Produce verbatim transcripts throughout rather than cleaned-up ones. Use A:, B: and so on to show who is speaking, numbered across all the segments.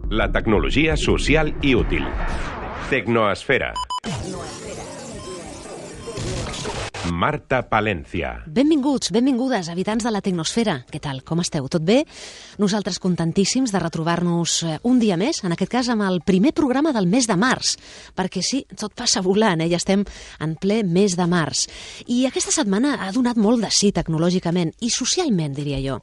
A: La tecnologia social i útil. Tecnoesfera. Marta Palencia.
B: Benvinguts, benvingudes, habitants de la Tecnosfera. Què tal, com esteu? Tot bé? Nosaltres contentíssims de retrobar-nos un dia més, en aquest cas amb el primer programa del mes de març, perquè sí, tot passa volant, eh? Ja estem en ple mes de març. I aquesta setmana ha donat molt de sí tecnològicament, i socialment, diria jo.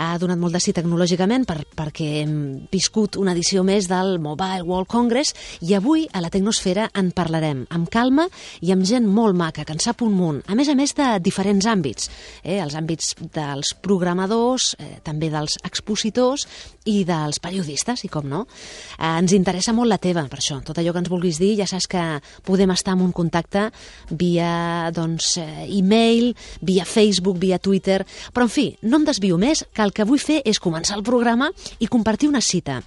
B: Ha donat molt de sí tecnològicament per, perquè hem viscut una edició més del Mobile World Congress i avui a la Tecnosfera en parlarem amb calma i amb gent molt maca, que en sap un munt, a més a més de diferents àmbits, eh? Els àmbits dels programadors, eh, també dels expositors i dels periodistes, i com no. Eh, ens interessa molt la teva, per això, tot allò que ens vulguis dir, ja saps que podem estar en un contacte via doncs, eh, e-mail, via Facebook, via Twitter, però en fi, no em desvio més, que el que vull fer és començar el programa i compartir una cita.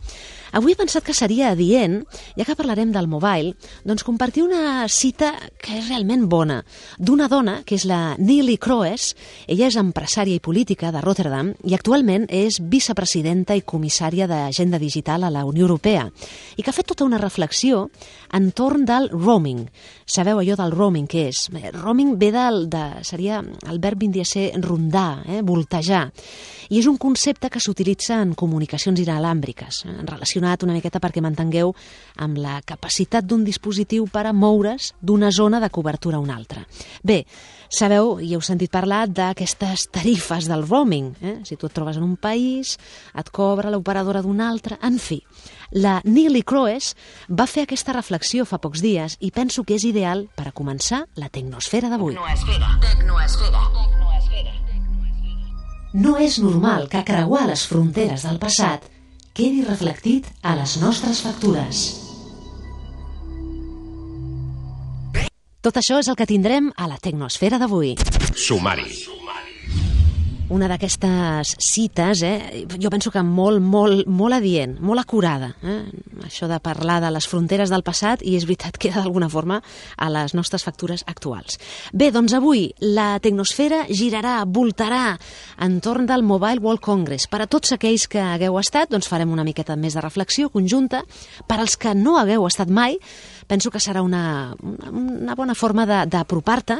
B: Avui he pensat que seria adient, ja que parlarem del mobile, doncs compartir una cita que és realment bona, d'una dona que és la Neelie Kroes. Ella és empresària i política de Rotterdam i actualment és vicepresidenta i comissària d'Agenda Digital a la Unió Europea i que ha fet tota una reflexió entorn del roaming. Sabeu allò del roaming què és? Roaming ve del, de, seria, el verb vindria a ser rondar, eh, voltejar, i és un concepte que s'utilitza en comunicacions inalàmbriques, eh, relacionat una miqueta perquè m'entengueu amb la capacitat d'un dispositiu per a moure's d'una zona de cobertura a una altra. Bé, sabeu i heu sentit parlar d'aquestes tarifes del roaming. Eh? Si tu et trobes en un país, et cobra l'operadora d'un altre, en fi. La Neelie Kroes va fer aquesta reflexió fa pocs dies i penso que és ideal per a començar la Tecnosfera d'avui.
C: Tecnoesfera. Tecnoesfera.
B: No és normal que creuar les fronteres del passat quedi reflectit a les nostres factures. Tot això és el que tindrem a la Tecnosfera d'avui.
A: Sumari.
B: Una d'aquestes cites, eh, jo penso que molt, molt, molt adient, molt acurada. Eh? Això de parlar de les fronteres del passat i és veritat que queda d'alguna forma a les nostres factures actuals. Bé, doncs avui la Tecnosfera girarà, voltarà entorn del Mobile World Congress. Per a tots aquells que hagueu estat, doncs farem una miqueta més de reflexió conjunta. Per als que no hagueu estat mai, penso que serà una, una bona forma d'apropar-te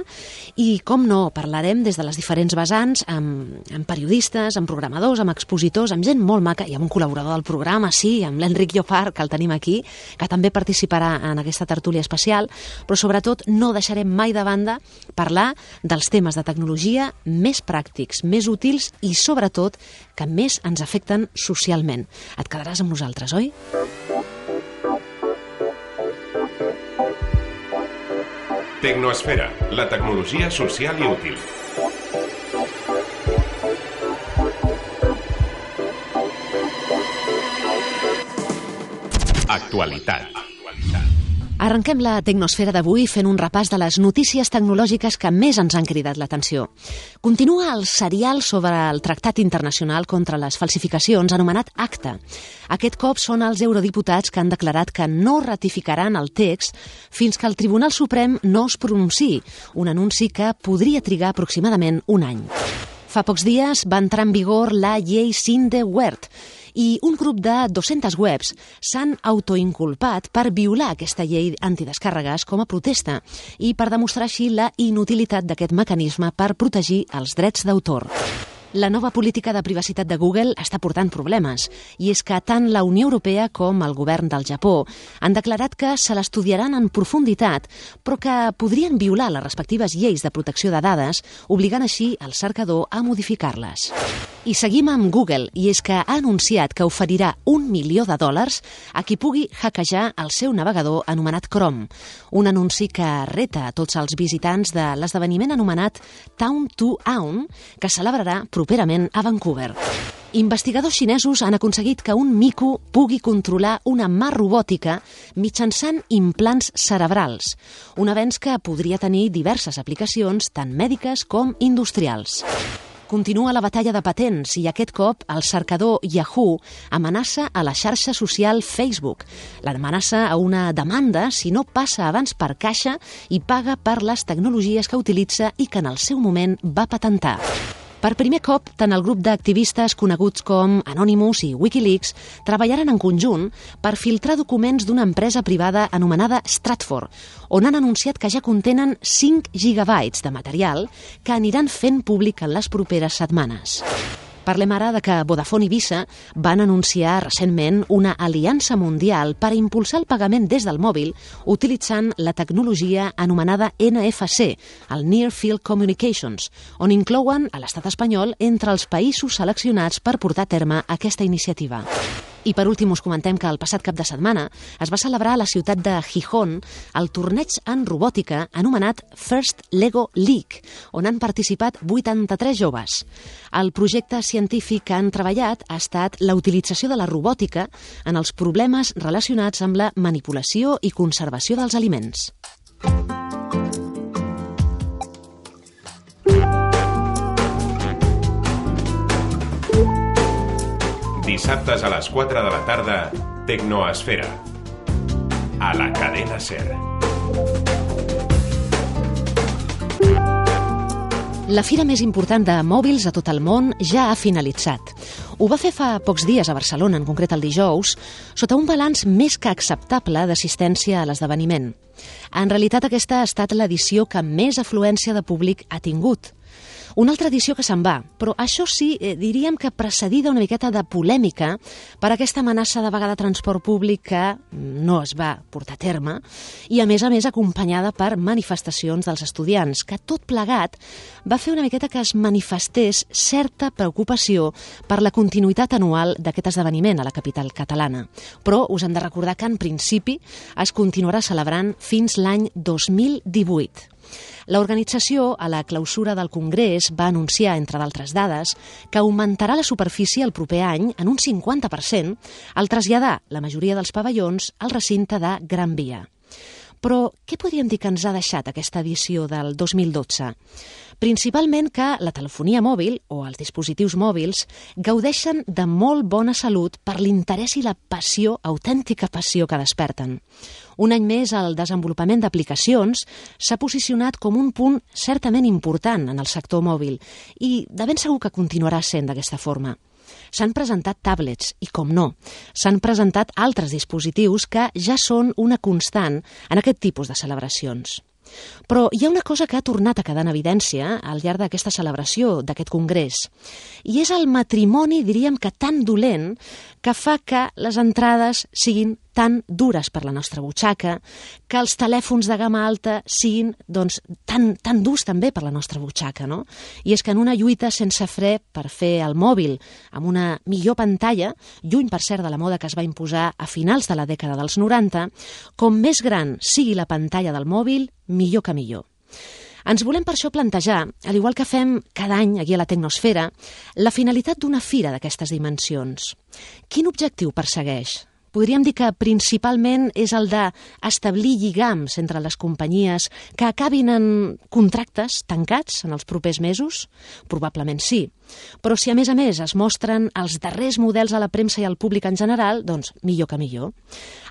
B: i, com no, parlarem des de les diferents vessants amb, amb periodistes, amb programadors, amb expositors, amb gent molt maca i amb un col·laborador del programa, sí, amb l'Enric Llopart, que el tenim aquí, que també participarà en aquesta tertúlia especial, però sobretot no deixarem mai de banda parlar dels temes de tecnologia més pràctics, més útils i sobretot que més ens afecten socialment. Et quedaràs amb nosaltres, oi?
A: Tecnoesfera, la tecnologia social i útil. Actualitat.
B: Arrenquem la Tecnosfera d'avui fent un repàs de les notícies tecnològiques que més ens han cridat l'atenció. Continua el serial sobre el Tractat Internacional contra les Falsificacions anomenat ACTA. Aquest cop són els eurodiputats que han declarat que no ratificaran el text fins que el Tribunal Suprem no es pronunciï, un anunci que podria trigar aproximadament un any. Fa pocs dies va entrar en vigor la llei Sindewert i un grup de dues-centes webs s'han autoinculpat per violar aquesta llei antidescàrregues com a protesta i per demostrar així la inutilitat d'aquest mecanisme per protegir els drets d'autor. La nova política de privacitat de Google està portant problemes i és que tant la Unió Europea com el govern del Japó han declarat que se l'estudiaran en profunditat, però que podrien violar les respectives lleis de protecció de dades, obligant així el cercador a modificar-les. I seguim amb Google, i és que ha anunciat que oferirà un milió de dòlars a qui pugui hackejar el seu navegador anomenat Chrome, un anunci que reta a tots els visitants de l'esdeveniment anomenat Town to Own, que celebrarà properament a Vancouver. Investigadors xinesos han aconseguit que un mico pugui controlar una mà robòtica mitjançant implants cerebrals, un avenç que podria tenir diverses aplicacions tant mèdiques com industrials. Continua la batalla de patents i aquest cop el cercador Yahoo amenaça a la xarxa social Facebook. L'amenaça a una demanda si no passa abans per caixa i paga per les tecnologies que utilitza i que en el seu moment va patentar. Per primer cop, tant el grup d'activistes coneguts com Anonymous i Wikileaks treballaran en conjunt per filtrar documents d'una empresa privada anomenada Stratfor, on han anunciat que ja contenen cinc gigabytes de material que aniran fent públic en les properes setmanes. Parlem ara de que Vodafone i Visa van anunciar recentment una aliança mundial per impulsar el pagament des del mòbil utilitzant la tecnologia anomenada N F C, el Near Field Communications, on inclouen a l'estat espanyol entre els països seleccionats per portar a terme aquesta iniciativa. I per últim us comentem que el passat cap de setmana es va celebrar a la ciutat de Gijón el torneig en robòtica anomenat First Lego League, on han participat vuitanta-tres joves. El projecte científic que han treballat ha estat la utilització de la robòtica en els problemes relacionats amb la manipulació i conservació dels aliments.
A: Dissabtes a les quatre de la tarda, Tecnoesfera. A la cadena SER.
B: La fira més important de mòbils a tot el món ja ha finalitzat. Ho va fer fa pocs dies a Barcelona, en concret el dijous, sota un balanç més que acceptable d'assistència a l'esdeveniment. En realitat, aquesta ha estat l'edició que més afluència de públic ha tingut. Una altra edició que se'n va, però això sí, eh, diríem que precedida una miqueta de polèmica per aquesta amenaça de vaga de transport públic que no es va portar a terme i, a més a més, acompanyada per manifestacions dels estudiants, que tot plegat va fer una miqueta que es manifestés certa preocupació per la continuïtat anual d'aquest esdeveniment a la capital catalana. Però us hem de recordar que, en principi, es continuarà celebrant fins l'any dos mil divuit. L'organització, a la clausura del Congrés, va anunciar, entre d'altres dades, que augmentarà la superfície el proper any en un cinquanta per cent al traslladar la majoria dels pavellons al recinte de Gran Via. Però què podríem dir que ens ha deixat aquesta edició del dos mil dotze? Principalment que la telefonia mòbil o els dispositius mòbils gaudeixen de molt bona salut per l'interès i la passió, autèntica passió que desperten. Un any més, el desenvolupament d'aplicacions s'ha posicionat com un punt certament important en el sector mòbil i de ben segur que continuarà sent d'aquesta forma. S'han presentat tablets i, com no, s'han presentat altres dispositius que ja són una constant en aquest tipus de celebracions. Però hi ha una cosa que ha tornat a quedar en evidència al llarg d'aquesta celebració, d'aquest congrés, i és el matrimoni, diríem que tan dolent, que fa que les entrades siguin tan dures per la nostra butxaca, que els telèfons de gamma alta siguin doncs, tan, tan durs també per la nostra butxaca, no? I és que en una lluita sense fre per fer el mòbil amb una millor pantalla, lluny per cert de la moda que es va imposar a finals de la dècada dels noranta, com més gran sigui la pantalla del mòbil, millor que millor. Ens volem per això plantejar, al igual que fem cada any aquí a la Tecnosfera, la finalitat d'una fira d'aquestes dimensions. Quin objectiu persegueix? Podríem dir que principalment és el d'establir lligams entre les companyies que acabin en contractes tancats en els propers mesos? Probablement sí. Però si a més a més es mostren els darrers models a la premsa i al públic en general, doncs millor que millor.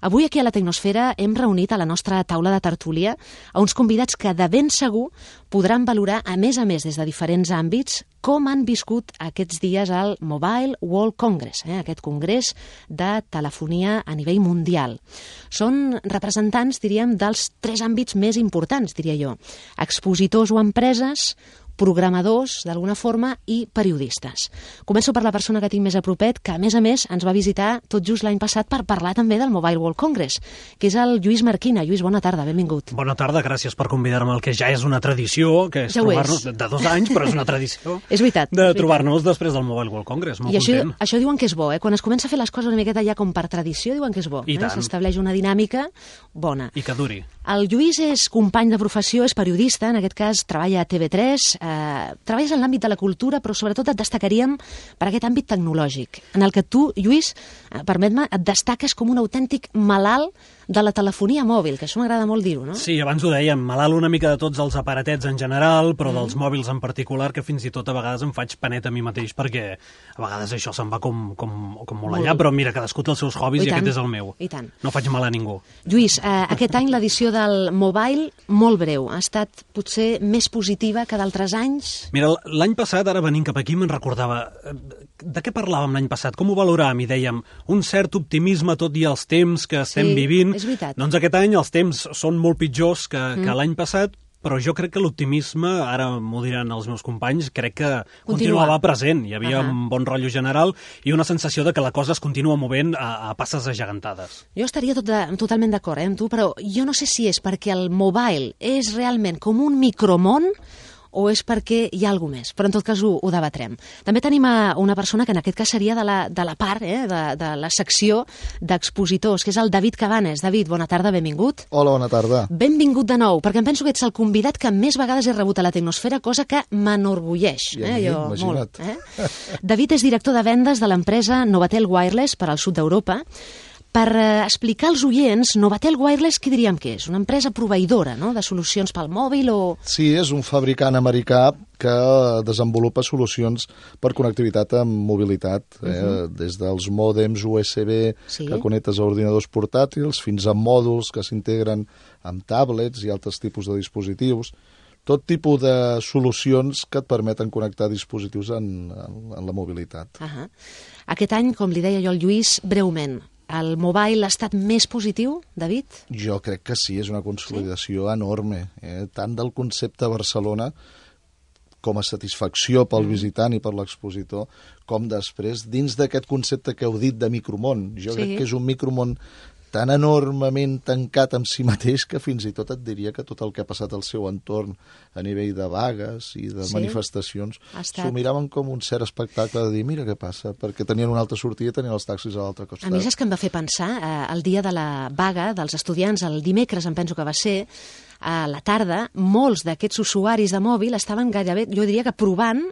B: Avui aquí a la Tecnosfera hem reunit a la nostra taula de tertúlia a uns convidats que de ben segur podran valorar a més a més des de diferents àmbits com han viscut aquests dies al Mobile World Congress, eh, aquest congrés de telefonia a nivell mundial. Són representants, diríem, dels tres àmbits més importants, diria jo. Expositors o empreses, programadors, d'alguna forma, i periodistes. Començo per la persona que tinc més a propet, que a més a més ens va visitar tot just l'any passat per parlar també del Mobile World Congress, que és el Lluís Marquina. Lluís, bona tarda, benvingut.
D: Bona tarda, gràcies per convidar-me al que ja és una tradició, que és
B: ja
D: trobar-nos de dos anys, però és una tradició.
B: És veritat.
D: De trobar-nos després del Mobile World Congress, molt
B: I això,
D: content.
B: això diuen que és bo, eh? Quan es comença a fer les coses una miqueta ja com per tradició, diuen que és bo.
D: I
B: eh?
D: tant.
B: S'estableix una dinàmica bona.
D: I que duri.
B: El Lluís és company de professió, és periodista, en aquest cas treballa a T V tres, eh, treballes en l'àmbit de la cultura, però sobretot et destacaríem per aquest àmbit tecnològic, en el que tu, Lluís, eh, permet-me, et destaques com un autèntic malalt de la telefonia mòbil, que això m'agrada molt dir-ho, no?
D: Sí, abans ho dèiem, malalt una mica de tots els aparatets en general, però mm. dels mòbils en particular, que fins i tot a vegades em faig panet a mi mateix, perquè a vegades això se'n va com, com, com molt allà, molt. Però mira, cadascú té els seus hobbies i, i aquest és el meu.
B: I tant.
D: No faig mal a ningú.
B: Lluís, eh, aquest any l'edició del Mobile, molt breu, ha estat potser més positiva que d'altres anys?
D: Mira, l'any passat, ara venint cap aquí, me'n recordava, de què parlàvem l'any passat? Com ho valoràvem? I dèiem, un cert optimisme tot i els temps que estem
B: sí,
D: vivint.
B: És veritat.
D: Doncs aquest any els temps són molt pitjors que, mm. que l'any passat, però jo crec que l'optimisme, ara m'ho diran els meus companys, crec que
B: continua.
D: continuava present. Hi havia uh -huh. un bon rotllo general i una sensació de que la cosa es continua movent a, a passes agegantades.
B: Jo estaria tot de, totalment d'acord eh, amb tu, però jo no sé si és perquè el mobile és realment com un micromón o és perquè hi ha alguna més, però en tot cas ho, ho debatrem. També tenim a una persona que en aquest cas seria de la, de la part, eh, de, de la secció d'expositors, que és el David Cabanes. David, bona tarda, benvingut.
E: Hola, bona tarda.
B: Benvingut de nou, perquè em penso que ets el convidat que més vegades he rebut a la Tecnosfera, cosa que m'enorgulleix.
E: I a
B: eh,
E: mi,
B: jo,
E: imagina't.
B: molt, eh? David és director de vendes de l'empresa Novatel Wireless per al sud d'Europa. Per eh, explicar als oients, Novatel Wireless, què diríem que és? Una empresa proveïdora, no?, de solucions pel mòbil o...
E: Sí, és un fabricant americà que desenvolupa solucions per connectivitat amb mobilitat, eh? uh-huh. des dels mòdems U S B sí. que connectes a ordinadors portàtils fins a mòduls que s'integren amb tablets i altres tipus de dispositius. Tot tipus de solucions que et permeten connectar dispositius en, en, en la mobilitat.
B: Uh-huh. Aquest any, com li deia jo al Lluís, breument, el mobile ha estat més positiu, David?
E: Jo crec que sí, és una consolidació sí? enorme, eh? tant del concepte Barcelona com a satisfacció pel mm. visitant i per l'expositor, com després, dins d'aquest concepte que heu dit de micromón. Jo sí. crec que és un micromón tan enormement tancat amb si mateix que fins i tot et diria que tot el que ha passat al seu entorn a nivell de vagues i de sí? manifestacions estat... s'ho miraven com un cert espectacle de dir, mira què passa, perquè tenien una altra sortida i tenien els taxis a l'altre costat.
B: A mi és que em va fer pensar, eh, el dia de la vaga dels estudiants, el dimecres em penso que va ser, a la tarda, molts d'aquests usuaris de mòbil estaven gairebé, jo diria que provant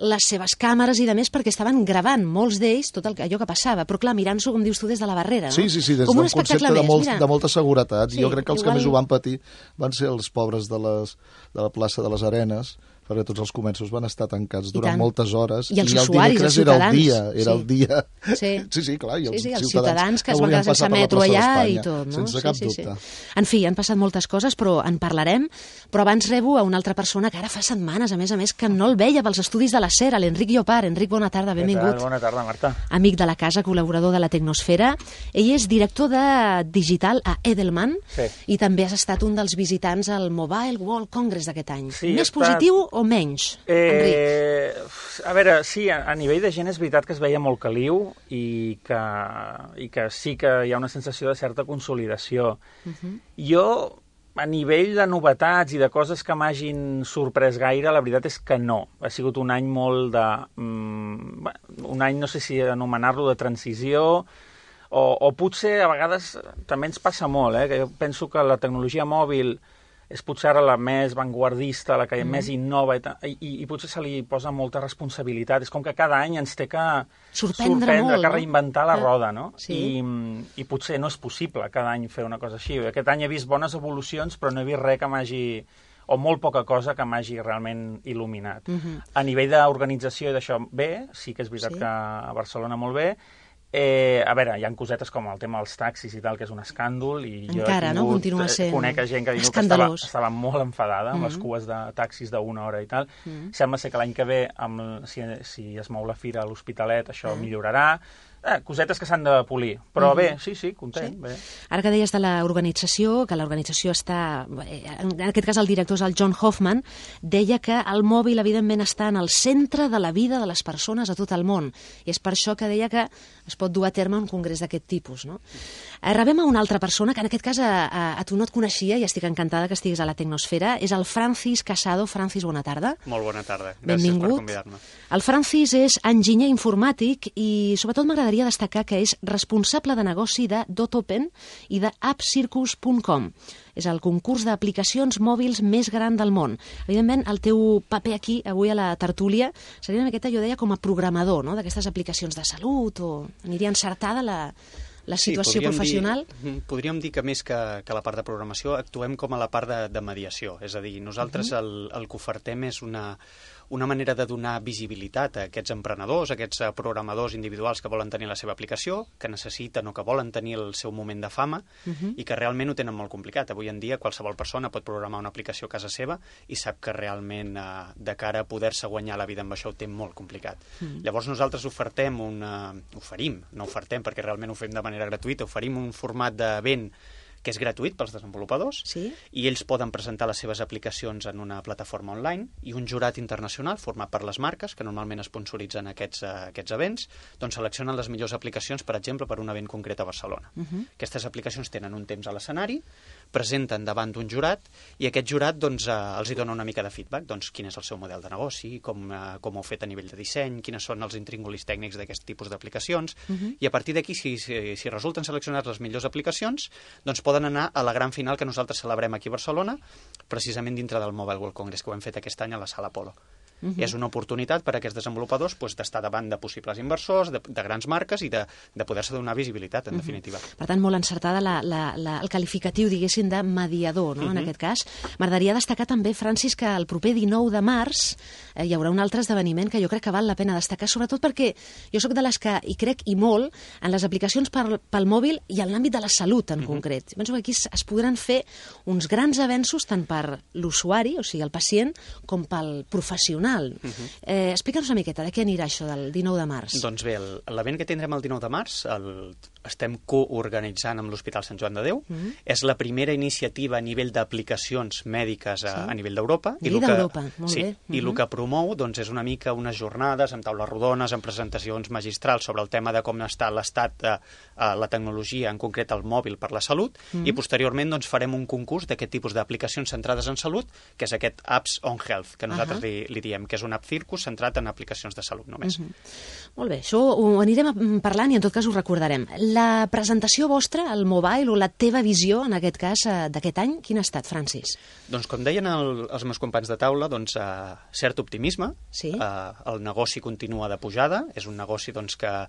B: les seves càmeres i de més perquè estaven gravant molts d'ells tot el, allò que passava, però clar, mirant-s'ho, com dius tu, des de la barrera, no?
E: Sí, sí, sí, des d'un concepte de, molt, de molta seguretat. Sí, jo crec que els igual... que més ho van patir van ser els pobres de, les, de la plaça de les Arenes, perquè tots els comerços van estar tancats durant moltes hores.
B: I els
E: i el
B: usuaris, els ciutadans.
E: Era el dia, era
B: sí.
E: el dia.
B: Sí,
E: sí, sí clar, i els,
B: sí, sí, els
E: ciutadans,
B: ciutadans que es van quedar sense metro allà i tot, no?
E: Sense
B: sí,
E: cap
B: sí,
E: dubte.
B: Sí. En fi, han passat moltes coses, però en parlarem. Però abans rebo a una altra persona que ara fa setmanes, a més a més, que no el veia pels estudis de la SER, l'Enric Llopart. Enric, bona tarda, benvingut.
F: Bona tarda, Marta.
B: Amic de la casa, col·laborador de la Tecnosfera. Ell és director de digital a Edelman
F: sí.
B: i també has estat un dels visitants al Mobile World Congress d'aquest any.
F: Sí,
B: Més
F: estat...
B: positiu o menys,
F: eh,
B: Enric?
F: A veure, sí, a, a nivell de gent és veritat que es veia molt caliu i que, i que sí que hi ha una sensació de certa consolidació. Uh-huh. Jo, a nivell de novetats i de coses que m'hagin sorprès gaire, la veritat és que no. Ha sigut un any molt de... Mm, un any, no sé si anomenar-lo de transició, o, o potser a vegades també ens passa molt, eh? Que jo penso que la tecnologia mòbil és potser ara la més vanguardista, la que mm. més innova, i, i, i potser se li posa molta responsabilitat. És com que cada any ens té que
B: sorprendre,
F: sorprendre
B: molt,
F: que
B: no?
F: reinventar la roda, no?
B: Sí.
F: I, I potser no és possible cada any fer una cosa així. Aquest any he vist bones evolucions, però no he vist res que m'hagi... o molt poca cosa que m'hagi realment il·luminat. Mm-hmm. A nivell d'organització i d'això, bé, sí que és veritat sí. que a Barcelona molt bé. Eh, a veure, hi ha cosetes com el tema dels taxis i tal, que és un escàndol, i
B: encara,
F: jo he tingut,
B: no? Continua sent
F: conec gent que diu que estava, estava molt enfadada amb mm-hmm. les cues de taxis d'una hora i tal. Mm-hmm. Sembla ser que l'any que ve, amb, si, si es mou la fira a l'Hospitalet, això mm. millorarà. Eh, cosetes que s'han de polir, però mm. bé, sí, sí, content. Sí. Bé.
B: Ara que deies de l'organització, que l'organització està... En aquest cas el director és el John Hoffman, deia que el mòbil, evidentment, està en el centre de la vida de les persones a tot el món, i és per això que deia que es pot dur a terme un congrés d'aquest tipus, no? Rebem a una altra persona, que en aquest cas a, a, a tu no et coneixia, i estic encantada que estiguis a la Tecnosfera, és el Francis Casado. Francis, bona tarda.
G: Molt bona tarda, gràcies
B: Benvingut.
G: per convidar-me. El
B: Francis és enginyer informàtic i sobretot m'agradaria destacar que és responsable de negoci de DotOpen i de appcircus punt com. És el concurs d'aplicacions mòbils més gran del món. Evidentment, el teu paper aquí, avui a la tertúlia, seria una miqueta, jo deia, com a programador, no?, d'aquestes aplicacions de salut, o aniria encertada la, la situació
G: sí,
B: professional?
G: Dir, podríem dir que més que, que la part de programació actuem com a la part de, de mediació, és a dir, nosaltres uh -huh. el, el que ofertem és una, una manera de donar visibilitat a aquests emprenedors, a aquests programadors individuals que volen tenir la seva aplicació, que necessiten o que volen tenir el seu moment de fama uh -huh. i que realment ho tenen molt complicat. Avui en dia qualsevol persona pot programar una aplicació a casa seva i sap que realment eh, de cara a poder-se guanyar la vida amb això ho té molt complicat. Uh -huh. Llavors nosaltres ofertem una... oferim, no ofertem perquè realment ho fem de manera gratuïta, oferim un format d'event que és gratuït pels desenvolupadors,
B: sí?
G: I ells poden presentar les seves aplicacions en una plataforma online, i un jurat internacional format per les marques, que normalment sponsoritzen aquests, uh, aquests events, doncs seleccionen les millors aplicacions, per exemple, per un event concret a Barcelona. Uh -huh. Aquestes aplicacions tenen un temps a l'escenari, presenten davant d'un jurat, i aquest jurat doncs, uh, els hi dona una mica de feedback, doncs quin és el seu model de negoci, com, uh, com ho heu fet a nivell de disseny, quines són els intríngulis tècnics d'aquest tipus d'aplicacions, uh -huh. i a partir d'aquí, si, si, si resulten seleccionats les millors aplicacions, doncs poden anar a la gran final que nosaltres celebrem aquí a Barcelona, precisament dintre del Mobile World Congress, que ho hem fet aquest any a la Sala Apolo. Uh-huh. És una oportunitat per a aquests desenvolupadors pues, d'estar davant de possibles inversors, de, de grans marques i de, de poder-se donar visibilitat, en uh-huh. definitiva.
B: Per tant, molt encertada la, la, la, el qualificatiu, diguéssim, de mediador, no?, uh-huh. en aquest cas. M'agradaria destacar també, Francis, que el proper dinou de març eh, hi haurà un altre esdeveniment que jo crec que val la pena destacar, sobretot perquè jo sóc de les que hi crec i molt en les aplicacions per, pel mòbil i en l'àmbit de la salut en uh-huh. concret. Penso que aquí es, es podran fer uns grans avenços tant per l'usuari, o sigui, el pacient, com pel professional. Uh-huh. eh, Explica'ns una miqueta de què anirà això del dinou de març.
G: Doncs bé, l'event que tindrem el dinou de març el estem coorganitzant amb l'Hospital Sant Joan de Déu. Uh-huh. És la primera iniciativa a nivell d'aplicacions mèdiques a, sí. a nivell d'Europa.
B: A nivell d'Europa, molt
G: sí,
B: bé. Uh-huh.
G: I el que promou doncs, és una mica unes jornades amb taules rodones, amb presentacions magistrals sobre el tema de com està l'estat de uh, la tecnologia, en concret el mòbil per la salut, uh-huh. i posteriorment doncs, farem un concurs d'aquest tipus d'aplicacions centrades en salut, que és aquest Apps on Health, que nosaltres uh-huh. li, li diem, que és un app circus centrat en aplicacions de salut només. Uh-huh.
B: Molt bé, això ho anirem parlant i en tot cas ho recordarem. La presentació vostra, el mobile, o la teva visió, en aquest cas, d'aquest any, quin ha estat, Francis?
G: Doncs com deien el, els meus companys de taula, doncs, uh, cert optimisme,
B: sí?
G: uh, el negoci continua de pujada, és un negoci doncs, que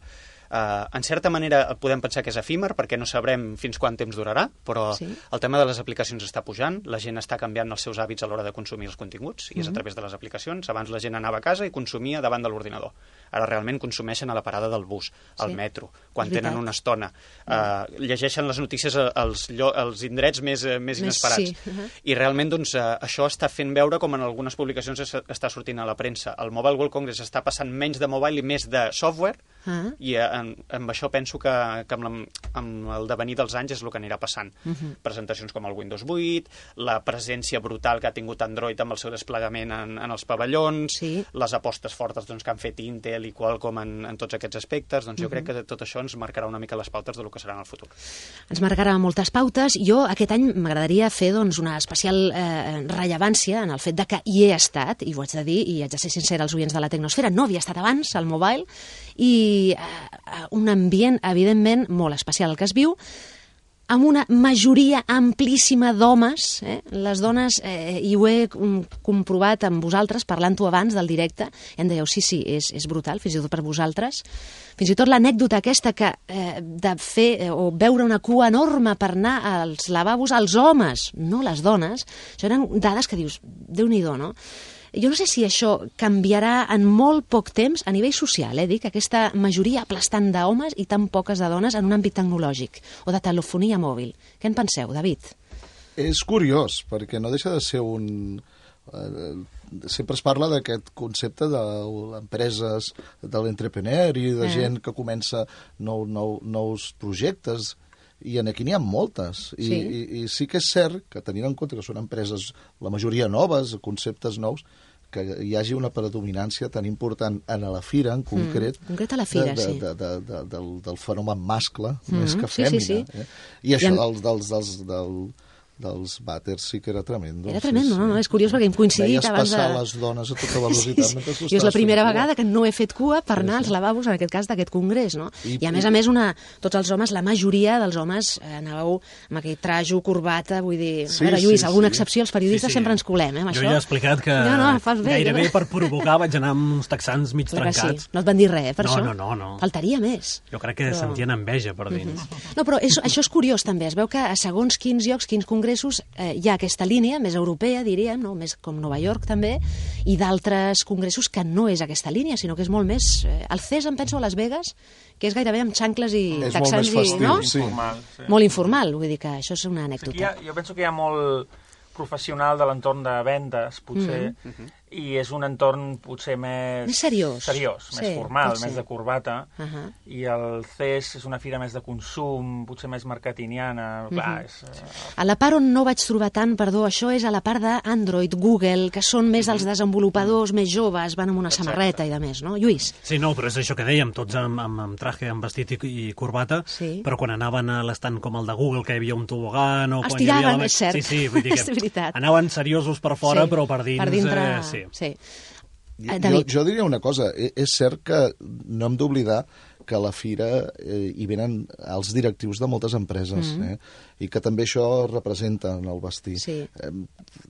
G: Uh, en certa manera podem pensar que és efímer perquè no sabrem fins quant temps durarà, però sí. el tema de les aplicacions està pujant, la gent està canviant els seus hàbits a l'hora de consumir els continguts, i mm-hmm. és a través de les aplicacions. Abans la gent anava a casa i consumia davant de l'ordinador. Ara realment consumeixen a la parada del bus, al sí. metro, quan tenen una estona. Uh, llegeixen les notícies als, als indrets més, més inesperats. Sí. Uh-huh. I realment doncs, uh, això està fent veure com en algunes publicacions es, està sortint a la premsa. El Mobile World Congress està passant menys de mobile i més de software, uh-huh. i uh, amb, amb això penso que, que amb, la, amb el devenir dels anys és el que anirà passant. Uh-huh. Presentacions com el Windows vuit, la presència brutal que ha tingut Android amb el seu desplegament en, en els pavellons, sí. les apostes fortes doncs, que han fet Intel i Qualcomm en, en tots aquests aspectes, doncs jo uh-huh. crec que tot això ens marcarà una mica les pautes del que serà en el futur.
B: Ens marcarà moltes pautes. Jo aquest any m'agradaria fer doncs, una especial eh, rellevància en el fet de que hi he estat, i ho haig de dir, i haig de ser sincera als oients de la Tecnosfera, no havia estat abans al mobile, i eh, un ambient, evidentment, molt especial el que es viu, amb una majoria amplíssima d'homes, eh? les dones, eh, i ho he comprovat amb vosaltres, parlant-ho abans del directe, i em dèieu, sí, sí, és, és brutal, fins i tot per vosaltres. Fins i tot l'anècdota aquesta que eh, de fer eh, o veure una cua enorme per anar als lavabos als homes, no les dones, això eren dades que dius, Déu-n'hi-do, no? Jo no sé si això canviarà en molt poc temps a nivell social, eh, dic, aquesta majoria aplastant d'homes i tan poques de dones en un àmbit tecnològic o de telefonia mòbil. Què en penseu, David?
E: És curiós, perquè no deixa de ser un... Eh, sempre es parla d'aquest concepte de empreses, de l'entrepreneur i de eh. gent que comença nou, nou, nous projectes, i aquí n'hi ha moltes. I sí. I, I sí que és cert que, tenint en compte que són empreses, la majoria noves, conceptes nous, que hi hagi una predominància tan important en la fira, en concret,
B: mm, concret a la fira,
E: de, de,
B: sí.
E: de, de, de, del, del fenomen mascle, mm, més que
B: sí,
E: fèmina.
B: Sí, sí.
E: Eh? I això I en... dels, dels, dels, del, dels vàters sí que era tremendo.
B: Era tremendo,
E: sí,
B: no?
E: sí.
B: no? És curiós perquè hem coincidit
E: Veies
B: abans de...
E: passar les dones a tota velocitat
B: sí,
E: mentre
B: sí.
E: tu
B: Jo és la
E: estaves
B: primera
E: fent cua.
B: vegada que no he fet cua per anar als lavabos, en aquest cas d'aquest congrés, no? I, I a més a més, una, tots els homes, la majoria dels homes, eh, anàveu amb aquell trajo, corbata, vull dir...
E: Sí,
B: a veure, Lluís,
E: sí,
B: alguna
E: sí.
B: excepció, els periodistes
D: Sí, sí.
B: sempre ens colem, eh, amb
D: Jo
B: això.
D: ja he explicat que
B: no, no, fas bé,
D: gairebé
B: jo...
D: per provocar vaig anar amb uns texans mig
B: Clar que
D: trencats.
B: sí. No et van dir res, eh, per
D: No,
B: això?
D: no, no, no.
B: Faltaria més.
D: Jo crec que
B: Però-
D: sentien enveja per dins.
B: No, però és, això és curiós també, es veu que a segons quins llocs, quins congressos, eh, hi ha aquesta línia més europea, diríem, no? Més com Nova York també, i d'altres congressos que no és aquesta línia, sinó que és molt més... Eh, el C E S em penso a Las Vegas, que és gairebé amb xancles i
E: És molt
B: texans
E: més festiu,
B: i... No?
E: sí.
F: Informal, sí.
B: Molt informal, vull dir que això és una
F: Aquí hi
B: anècdota.
F: ha, jo penso que hi ha molt professional de l'entorn de vendes, potser,
B: Mm.
F: i és un entorn potser més...
B: Més seriós.
F: Seriós,
B: Sí,
F: més formal,
B: pot ser.
F: més de corbata,
B: Uh -huh.
F: i el C E S és una fira més de consum, potser més marketingiana, clar, és... eh,
B: A la part on no vaig trobar tant, perdó, això és a la part d'Android, Google, que són més els desenvolupadors més joves, van amb una samarreta i de més, no? Lluís?
D: Sí, no, però és això que dèiem, tots amb, amb, amb traje, amb vestit i, i corbata,
B: Sí.
D: però quan anaven a l'estant com el de Google, que hi havia un tobogan... O
B: Els
D: quan hi havia
B: tiraven,
D: la...
B: és cert.
D: Sí, sí, vull dir
B: És
D: que
B: veritat.
D: anaven seriosos per fora,
B: Sí,
D: però per dins...
B: Per dintre,
D: eh, sí.
B: sí. Eh,
E: Jo,
B: David.
E: jo diria una cosa, e- és cert que no hem d'oblidar que a la fira eh, hi venen els directius de moltes empreses,
B: Mm.
E: eh? I que també això representa en el vestir.
B: Sí.
E: Eh,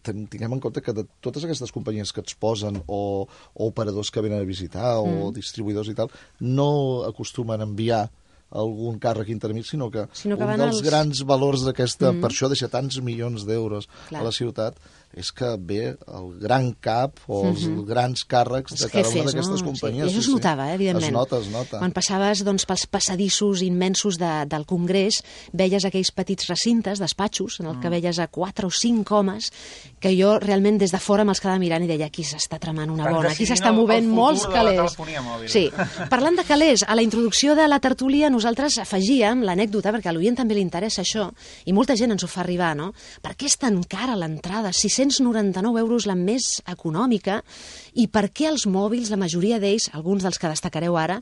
E: ten- tinguem en compte que de totes aquestes companyies que ens posen, o, o operadors que venen a visitar, o
B: Mm.
E: distribuïdors i tal, no acostumen a enviar algun càrrec intermig, sinó que,
B: Sinó que
E: un
B: van
E: dels
B: els-
E: grans valors d'aquesta... Mm. Per això deixa tants milions d'euros
B: Clar.
E: a la ciutat, és que ve el gran cap o els
B: Mhm.
E: grans càrrecs
B: Els
E: de cada una
B: jefes,
E: d'aquestes
B: no?
E: companyies.
B: Sí. I això es notava, eh, evidentment.
E: Es nota, es nota.
B: Quan passaves doncs, pels passadissos immensos de, del Congrés, veies aquells petits recintes, despatxos, en el que veies a quatre o cinc homes, que jo realment des de fora me'ls quedava mirant i deia, aquí s'està tramant una
F: Estan
B: bona, aquí
F: decidint
B: s'està
F: el-
B: movent
F: el futur
B: molts
F: de la
B: calés.
F: telefonia mòbil.
B: Sí. Parlant de calés, a la introducció de la tertúlia nosaltres afegíem l'anècdota, perquè a l'oient també li interessa això, i molta gent ens ho fa arribar, no? Per què és tan cara l'entrada? sis-cents noranta-nou euros la més econòmica, i per què els mòbils, la majoria d'ells, alguns dels que destacareu ara,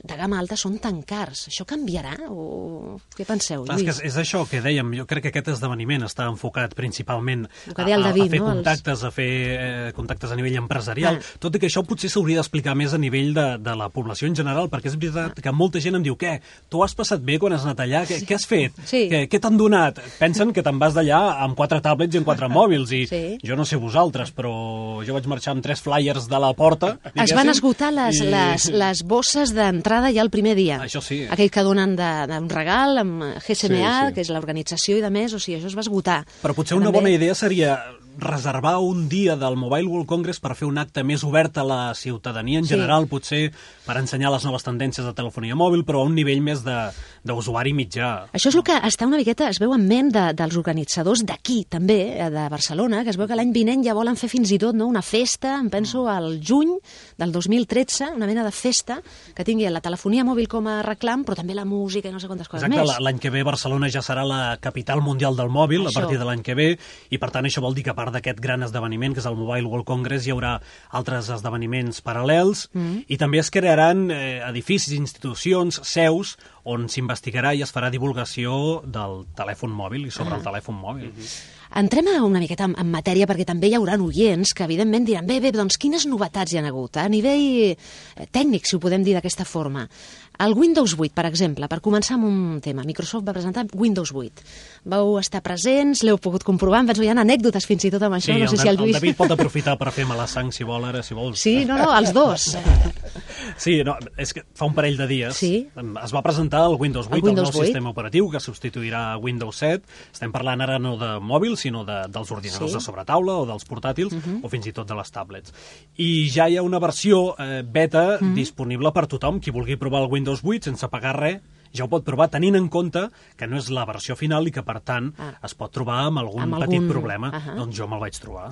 B: de gamma alta són tan cars? Això canviarà? O què penseu,
D: Clar, és,
B: Lluís?
D: que és, és això que dèiem, jo crec que aquest esdeveniment està enfocat principalment
B: El que deia el
D: a, a,
B: David,
D: a fer
B: no? Els-
D: contactes, a fer eh, contactes a nivell empresarial,
B: Ah.
D: tot i que això potser s'hauria d'explicar més a nivell de, de la població en general, perquè és veritat que molta gent em diu, què, tu has passat bé quan has anat allà? Què, què has fet?
B: Sí.
D: Què, què t'han donat? Pensen que te'n vas d'allà amb quatre tablets i amb quatre mòbils, i
B: Sí.
D: jo no sé vosaltres, però jo vaig marxar amb tres flyers de la porta.
B: Es van
D: diguéssim,
B: esgotar les,
D: i-
B: les, les bosses d'entrada ja el primer dia.
D: Això sí.
B: Aquell que donen de- d'un regal amb G S M A,
E: Sí, sí.
B: que és l'organització i de més, o sigui, això es va esgotar.
D: Però potser
B: Que
D: una
B: també-
D: bona idea seria reservar un dia del Mobile World Congress per fer un acte més obert a la ciutadania en
B: Sí.
D: general, potser per ensenyar les noves tendències de telefonia mòbil, però a un nivell més de- d'usuari mitjà.
B: Això és el que està una miqueta, es veu en ment de, dels organitzadors d'aquí, també, eh, de Barcelona, que es veu que l'any vinent ja volen fer fins i tot no, una festa, em penso al juny del dos mil tretze, una mena de festa que tingui la telefonia mòbil com a reclam, però també la música i no sé quantes coses
D: Exacte,
B: més.
D: la- l'any que ve Barcelona ja serà la capital mundial del mòbil,
B: Això.
D: a partir de l'any que ve, i per tant això vol dir que a part d'aquest gran esdeveniment, que és el Mobile World Congress, hi haurà altres esdeveniments paral·lels,
B: Mm.
D: i també es crearan eh, edificis, institucions, seus, on s'investigarà i es farà divulgació del telèfon mòbil i sobre
B: Ah.
D: el telèfon mòbil.
B: Entrem a una miqueta en, en matèria, perquè també hi haurà oients que evidentment diran, bé, bé, doncs quines novetats hi han hagut? A nivell eh, tècnic, si ho podem dir d'aquesta forma. El Windows vuit, per exemple, per començar amb un tema. Microsoft va presentar Windows vuit. Vau estar presents, l'heu pogut comprovar, em vaig veure anècdotes fins i tot amb això,
D: Sí,
B: no sé
D: el,
B: si el
D: el
B: Lluís...
D: David pot aprofitar per fer mala sang si vol, ara, si vols.
B: Sí, no, no, els dos.
D: Sí, no, és que fa un parell de dies
B: Sí.
D: es va presentar el Windows vuit,
B: El
D: el,
B: Windows
D: nou
B: vuit.
D: sistema operatiu que substituirà Windows set. Estem parlant ara no de mòbil, sinó de, dels ordinadors
B: Sí.
D: de sobretaula o dels portàtils,
B: Uh -huh.
D: o fins i tot de les tablets. I ja hi ha una versió eh, beta
B: Uh -huh.
D: disponible per tothom. Qui vulgui provar el Windows vuit sense pagar res, ja ho pot provar, tenint en compte que no és la versió final i que, per tant,
B: Ah.
D: es pot trobar amb algun
B: Amb
D: petit
B: algun-
D: problema.
B: Ahà.
D: Doncs jo me'l vaig trobar.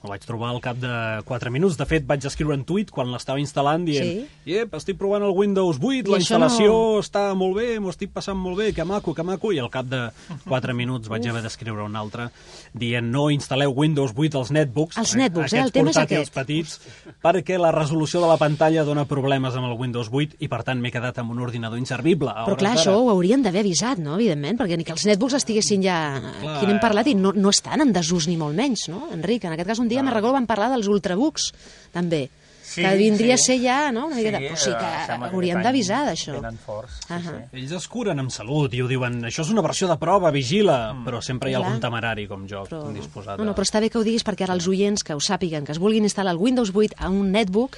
D: El vaig trobar al cap de quatre minuts. De fet, vaig escriure un tuit quan l'estava instal·lant dient
B: Sí.
D: «Iep, estic provant el Windows vuit,
B: I
D: la
B: això
D: instal·lació
B: no-
D: està molt bé, m'ho estic passant molt bé, que maco, que maco», i al cap de quatre minuts vaig haver d'escriure un altre dient «No instal·leu Windows vuit als netbooks»,
B: Els netbooks, eh? El
D: aquests
B: tema és
D: portàtils
B: aquest.
D: petits, perquè la resolució de la pantalla dona problemes amb el Windows vuit i, per tant, m'he quedat amb un ordinador inservible. a
B: Però
D: hores
B: clar,
D: d'ara.
B: això ho haurien d'haver avisat, no?, evidentment, perquè ni que els netbooks estiguessin ja...
D: Clar.
B: Aquí n'hem parlat i no, no estan en desús ni molt menys, no, Enric? En aquest cas, un dia, me'n recordo, vam parlar dels ultrabooks, també,
F: Sí,
B: que vindria
F: sí.
B: a ser ja, no?, una miqueta...
F: Sí,
B: Però sí
F: eh,
B: que
F: sembla que
B: haurien
F: aquest
B: d'avisar
F: any
B: d'això.
F: venen forts, sí,
B: Ahà.
F: sí.
D: Ells es curen amb salut i ho diuen, això és una versió de prova, vigila, mm. però sempre hi ha
B: Clar.
D: algun temerari com jo,
B: Però...
D: disposat
B: No, no,
D: a...
B: però està bé que ho diguis perquè ara els oients que ho sàpiguen, que es vulguin instal·lar el Windows vuit a un netbook,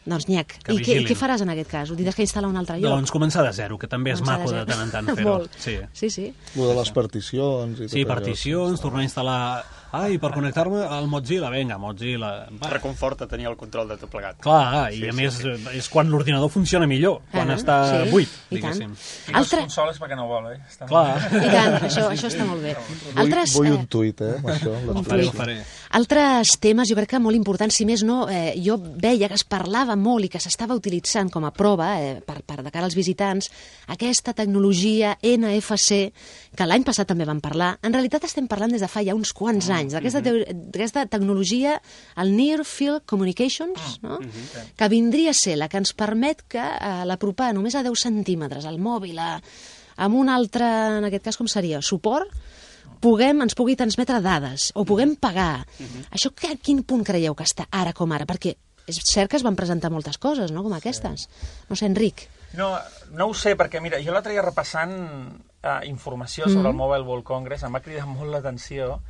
B: doncs nyec.
D: Que
B: I què,
D: vigilin.
B: què faràs en aquest cas? Ho tindràs que instal·lar a un altre lloc?
D: Doncs començar de zero, que també és
B: Començar
D: maco de
B: zero.
D: tant en tant fer-ho.
B: Molt.
D: Sí.
B: Sí, sí.
E: Lo de les particions i tot
D: Sí,
E: allò.
D: particions, tornar a instal·lar... Ai, per connectar-me al Mozilla, vinga, Mozilla... Va.
G: Reconforta tenir el control de tot plegat.
D: Clar, i
G: Sí,
D: a
G: sí,
D: més
G: sí.
D: és quan l'ordinador funciona millor, quan
B: Ah,
D: està
B: sí,
D: buit,
B: i tant.
D: diguéssim.
F: I
B: Altre...
F: les consoles perquè no vol, eh? Està
D: Clar.
B: I tant, això, això està molt bé.
E: Vull,
B: Altres,
E: vull
B: eh,
E: un tuit, eh, amb això. amb
D: Ho
E: les
D: faré, ho
E: tuits.
D: faré.
B: Altres temes, jo crec que molt importants, si més no, eh, jo veia que es parlava molt i que s'estava utilitzant com a prova, eh, per, per de cara als visitants, aquesta tecnologia N F C, que l'any passat també vam parlar. En realitat estem parlant des de fa ja uns quants anys, d'aquesta d'aquesta tecnologia, el Near Field Communications, no? que vindria a ser la que ens permet que eh, l'apropar només a deu centímetres al mòbil, a, amb un altre, en aquest cas com seria, suport, puguem, ens pugui transmetre dades o puguem pagar. Això que, a quin punt creieu que està ara com ara? Perquè és cert que es van presentar moltes coses, no?, com aquestes. No sé, Enric.
F: No, no ho sé, perquè mira, jo l'altre dia repassant eh, informació sobre el Mobile World Congress em va cridar molt l'atenció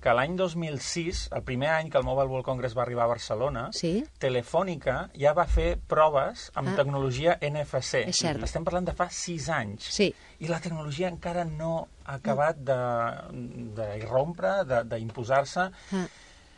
F: que l'any dos mil sis, el primer any que el Mobile World Congress va arribar a Barcelona,
B: Sí.
F: Telefònica ja va fer proves amb
B: Ah.
F: tecnologia N F C.
B: És cert.
F: Estem parlant de fa sis anys.
B: Sí.
F: I la tecnologia encara no ha acabat d'irrompre, d'imposar-se.
B: Ah.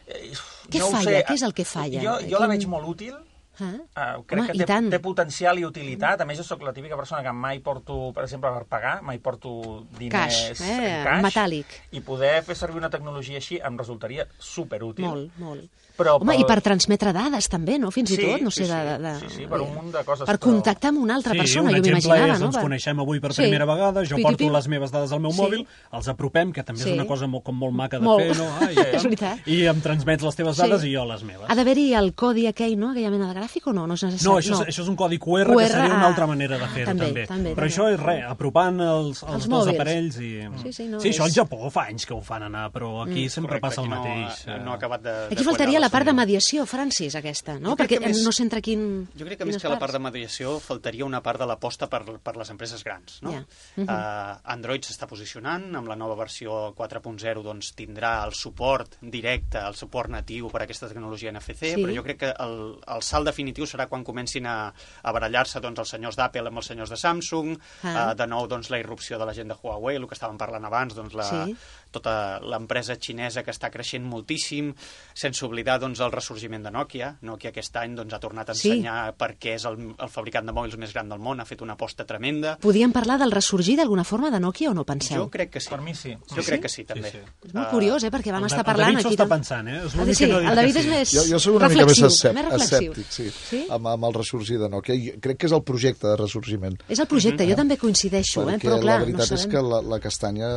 F: Eh,
B: Què
F: no ho
B: falla?
F: sé.
B: Què és el que falla?
F: Jo, jo la
B: Quin-
F: veig molt útil.
B: Ah.
F: Uh, crec
B: Home,
F: que
B: i
F: té,
B: tant.
F: té potencial i utilitat. A més, jo sóc la típica persona que mai porto, per exemple, per pagar, mai porto diners
B: Cash, eh,
F: en cash.
B: metàl·lic.
F: I poder fer servir una tecnologia així em resultaria superútil.
B: Molt, molt.
F: Però
B: Home,
F: pel-
B: i per transmetre dades també, no? Fins i
F: Sí,
B: tot, no
F: sí,
B: sé, de,
F: sí.
B: de, de...
F: Sí, sí, per un munt de coses,
B: Per
F: però-
B: contactar amb una altra
D: Sí,
B: persona,
D: un
B: jo
D: exemple
B: m'imaginava,
D: és,
B: no?
D: ens
B: Per-
D: coneixem avui per
B: Sí.
D: primera vegada, jo
B: Pipi,
D: porto
B: pipi.
D: les meves dades al meu
B: Sí.
D: mòbil, els apropem, que també
B: Sí.
D: és una cosa molt, com molt maca de
B: Molt.
D: fer, no? Ai,
B: És
D: tant.
B: veritat.
D: I em transmets les teves
B: Sí.
D: dades i jo les meves.
B: Ha d'haver-hi el codi aquell, no?, aquella mena de gràfic o no? No, és necessari.
D: No, això, és, això és un codi Q R,
B: Q R,
D: que seria una
B: ah,
D: altra manera de fer-ho,
B: també,
D: també.
B: també,
D: Però
B: també.
D: això és res, apropant els, els,
B: Els
D: dos
B: mòbils.
D: aparells i...
B: Sí, sí, no,
D: sí, això
B: és-
D: al Japó fa anys que ho fan anar, però aquí mm. sempre
G: Correcte,
D: passa el
G: aquí
D: mateix.
G: No,
D: eh.
G: no ha acabat de,
B: Aquí
G: de
B: faltaria
G: quallar
B: la part de
G: senyora.
B: mediació, Francis, aquesta, no?
G: Jo crec
B: Perquè
G: que més-
B: no sé entre quin...
G: Jo crec que més
B: quines
G: que la part
B: parts.
G: de mediació faltaria una part de l'aposta per, per les empreses grans. No?
B: Ja.
G: uh, Android s'està posicionant, amb la nova versió quatre punt zero doncs, tindrà el suport directe, el suport natiu per a aquesta tecnologia N F C,
B: Sí.
G: però jo crec que el, el salt definitiu serà quan comencin a, a barallar-se doncs, els senyors d'Apple amb els senyors de Samsung,
B: Ah.
G: uh, de nou doncs, la irrupció de la gent de Huawei, el que estàvem parlant abans, doncs, la,
B: Sí.
G: tota l'empresa xinesa que està creixent moltíssim, sense oblidar doncs, el ressorgiment de Nokia. Nokia aquest any doncs, ha tornat a
B: Sí.
G: ensenyar per què és el, el fabricant de mòbils més gran del món, ha fet una aposta tremenda.
B: Podíem parlar del ressorgir d'alguna forma de Nokia o no penseu?
G: Jo crec que sí.
F: Per mi sí.
G: Jo crec que sí, també.
D: sí.
B: És molt curiós, eh? Perquè vam
D: El,
B: estar
D: el
B: parlant
D: David s'ho
B: aquí...
D: està
B: tam-
D: pensant, eh? És
B: Ah,
D: l'únic
B: sí,
D: que no diu
B: el David
D: que
B: és
D: sí.
B: més
E: Jo, jo soc una mica més,
B: reflexiu,
E: escèpt,
B: més reflexiu.
E: escèptic, sí,
B: Sí?
E: Amb, amb el ressorgir de Nokia. Jo crec que és el projecte de ressorgiment.
B: És el projecte, jo també coincideixo, eh?
E: Perquè
B: Però clar,
E: la veritat
B: no
E: és
B: sabem...
E: que la, la castanya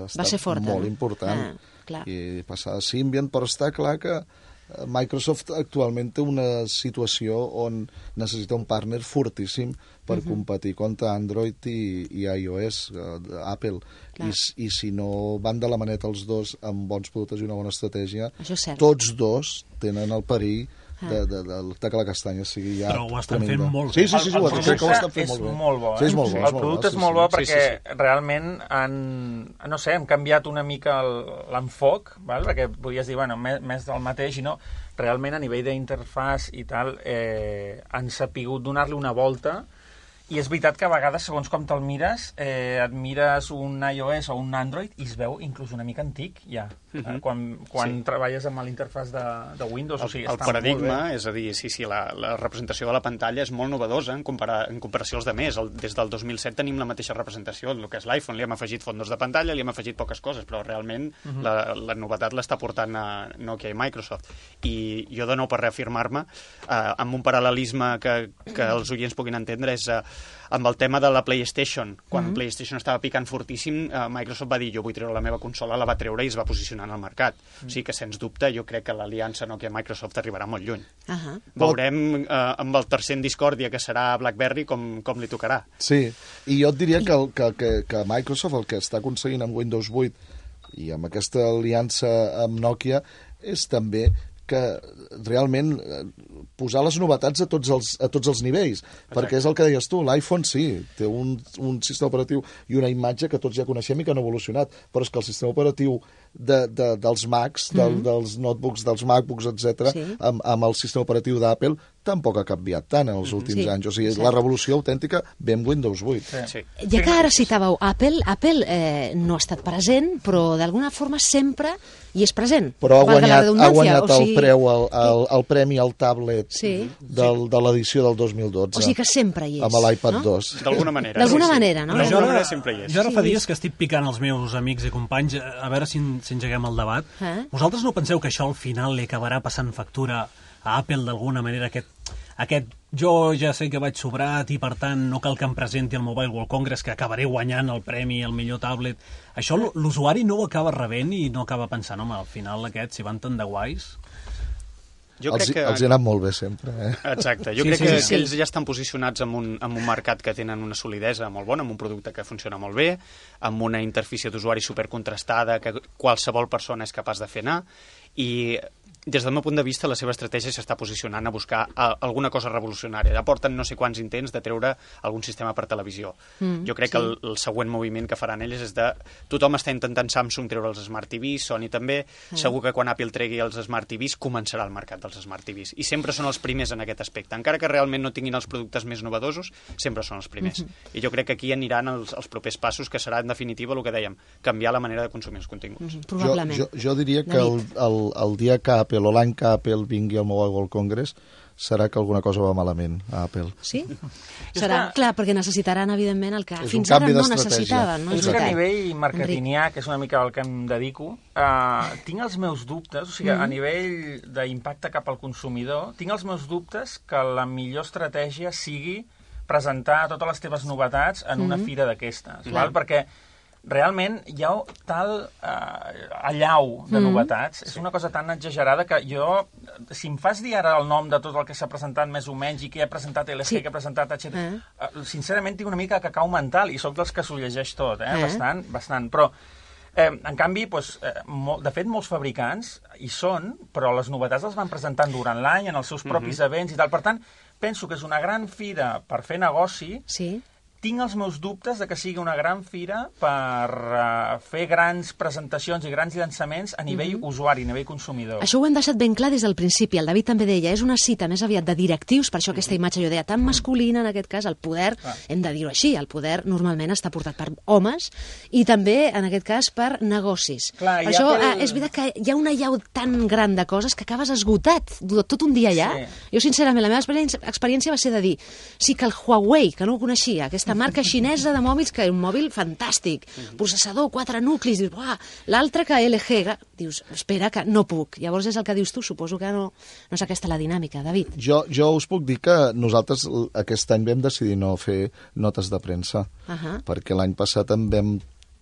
E: està
B: Va ser forta,
E: molt
B: no?
E: important.
B: Ah, clar.
E: I passar a Symbian, però està clar que eh, Microsoft actualment té una situació on necessita un partner fortíssim per
B: Mhm.
E: competir contra Android i, i iOS, eh, Apple. I, s- I si no van de la maneta els dos amb bons productes i una bona estratègia,
B: Això és cert.
E: tots dos tenen el perill de, de, de, de que la castanya sigui ja
D: Però ho estan
E: tremenda.
D: fent molt bé.
E: Sí, sí, sí, sí,
F: el,
E: ho
F: el
E: crec que ho estan
F: producte
E: fent
F: és
E: molt bé.
F: molt bo, eh?
E: Sí, és molt bo. és
F: El
E: molt
F: producte
E: sí,
F: és molt
E: sí.
F: bo
G: Sí,
F: perquè
G: sí, sí.
F: realment han, no sé, hem canviat una mica el- l'enfoc, val? Perquè podies dir, bueno, més, més del mateix, i no, realment a nivell d'interfàs i tal, eh, han sapigut donar-li una volta I és veritat que a vegades, segons com te'l mires, eh, et mires un iOS o un Android i es veu inclús una mica antic, ja, uh -huh. quan, quan sí. treballes amb l'interfàs de, de Windows.
G: El,
F: o sigui,
G: el
F: està
G: paradigma,
F: molt bé.
G: és a dir, sí, sí, la, la representació de la pantalla és molt novedosa en, comparar, en comparació als demés. El, des del dos mil set tenim la mateixa representació, el que és l'iPhone. Li hem afegit fondos de pantalla, li hem afegit poques coses, però realment uh -huh. la, la novetat l'està portant a Nokia i Microsoft. I jo, de nou, per reafirmar-me, eh, amb un paral·lelisme que, que els oients puguin entendre, és eh, amb el tema de la PlayStation. Quan mm-hmm. PlayStation estava picant fortíssim, eh, Microsoft va dir, jo vull treure la meva consola, la va treure i es va posicionar en el mercat. Mm. O sigui que, sens dubte, jo crec que l'aliança Nokia-Microsoft arribarà molt lluny. Uh -huh. Veurem eh, amb el tercer en discòrdia, que serà BlackBerry, com, com li tocarà.
E: Sí, i jo et diria que, el, que, que, que Microsoft el que està aconseguint amb Windows vuit i amb aquesta aliança amb Nokia és també que realment posar les novetats a tots els, a tots els nivells. Exacte. Perquè és el que deies tu, l'iPhone sí, té un, un sistema operatiu i una imatge que tots ja coneixem i que han evolucionat, però és que el sistema operatiu de, de, dels Macs, del, mm -hmm. dels notebooks, dels MacBooks, etcètera, sí. amb, amb el sistema operatiu d'Apple, tampoc ha canviat tant en els últims sí, anys. O sigui, exacte. La revolució autèntica ve amb Windows vuit. Sí.
G: Sí.
B: Ja que ara citàveu Apple, Apple eh, no ha estat present, però d'alguna forma sempre hi és present.
E: Però ha guanyat, ha guanyat
B: o sigui...
E: el preu, el, el, el premi al tablet
B: sí.
E: del, de l'edició del dos mil dotze.
B: O sigui que sempre hi és.
E: Amb l'iPad
B: no?
E: dos.
G: D'alguna manera.
B: D'alguna
G: sí, sí.
B: manera, no?
G: D'alguna manera sempre hi és.
D: Jo ara
B: sí,
D: fa dies que estic picant els meus amics i companys a veure si, si engeguem el debat.
B: Eh?
D: Vosaltres no penseu que això al final li acabarà passant factura a Apple d'alguna manera, aquest, aquest jo ja sé que vaig sobrat i per tant no cal que em presenti el Mobile World Congress, que acabaré guanyant el premi al millor tablet. Això l'usuari no ho acaba rebent i no acaba pensant, home, al final aquests, si van tan de guais...
G: Jo
E: els,
G: crec que...
E: els hi ha anat molt bé sempre. Eh?
G: Exacte. Jo
D: sí,
G: crec
D: sí,
G: que,
D: sí.
G: que ells ja estan posicionats en un, en un mercat que tenen una solidesa molt bona, amb un producte que funciona molt bé, amb una interfície d'usuari supercontrastada que qualsevol persona és capaç de fer anar, i des del meu punt de vista la seva estratègia s'està posicionant a buscar a, alguna cosa revolucionària. Ja porten no sé quants intents de treure algun sistema per televisió. Mm, jo crec sí. que el, el següent moviment que faran ells és de... Tothom està intentant Samsung treure els Smart T Vs, Sony també. Mm. Segur que quan Apple tregui els Smart T Vs començarà el mercat dels Smart T Vs. I sempre són els primers en aquest aspecte. Encara que realment no tinguin els productes més novedosos, sempre són els primers. Mm-hmm. I jo crec que aquí aniran els, els propers passos, que serà en definitiva el que dèiem, canviar la manera de consumir els continguts.
B: Mm-hmm. Probablement.
E: Jo, jo, jo diria que el, el, el dia que Apple o l'any que Apple vingui al Mobile World Congress serà que alguna cosa va malament a Apple.
B: Sí? Serà, clar, perquè necessitaran, evidentment, el que
E: és
B: fins ara no necessitaven. No?
F: És que a nivell marketingià, que és una mica el que em dedico, uh, tinc els meus dubtes, o sigui, mm-hmm. a nivell d'impacte cap al consumidor, tinc els meus dubtes que la millor estratègia sigui presentar totes les teves novetats en mm-hmm. una fira d'aquestes, mm-hmm. perquè realment hi ha tal eh, allau de mm. novetats, és una cosa tan exagerada que jo, si em fas dir ara el nom de tot el que s'ha presentat més o menys i que he presentat L G, sí. que he presentat etcètera, eh. eh, sincerament tinc una mica de cacau mental i sóc dels que s'ho llegeix tot, eh? Eh. bastant, bastant, però eh, en canvi, doncs, eh, molt, de fet, molts fabricants hi són, però les novetats les van presentant durant l'any en els seus propis mm-hmm. events i tal, per tant, penso que és una gran fira per fer negoci.
B: Sí.
F: Tinc els meus dubtes de que sigui una gran fira per uh, fer grans presentacions i grans llançaments a nivell mm-hmm. usuari, a nivell consumidor.
B: Això ho hem deixat ben clar des del principi. El David també deia, és una cita més aviat de directius, per això aquesta imatge jo deia tan masculina, en aquest cas, el poder, ah. hem de dir-ho així, el poder normalment està portat per homes i també, en aquest cas, per negocis.
F: Clar,
B: per això
F: pel...
B: eh, és veritat que hi ha una llau tan gran de coses que acabes esgotat tot un dia allà. Sí. Jo, sincerament, la meva experiència, experiència va ser de dir, sí que el Huawei, que no ho coneixia, aquesta marca xinesa de mòbils, que és un mòbil fantàstic, uh-huh. processador, quatre nuclis, dius, uah, l'altre que L G, dius, espera, que no puc. Llavors és el que dius tu, suposo que no, no és aquesta la dinàmica, David.
E: Jo, jo us puc dir que nosaltres aquest any vam decidir no fer notes de premsa, uh-huh. perquè l'any passat en vam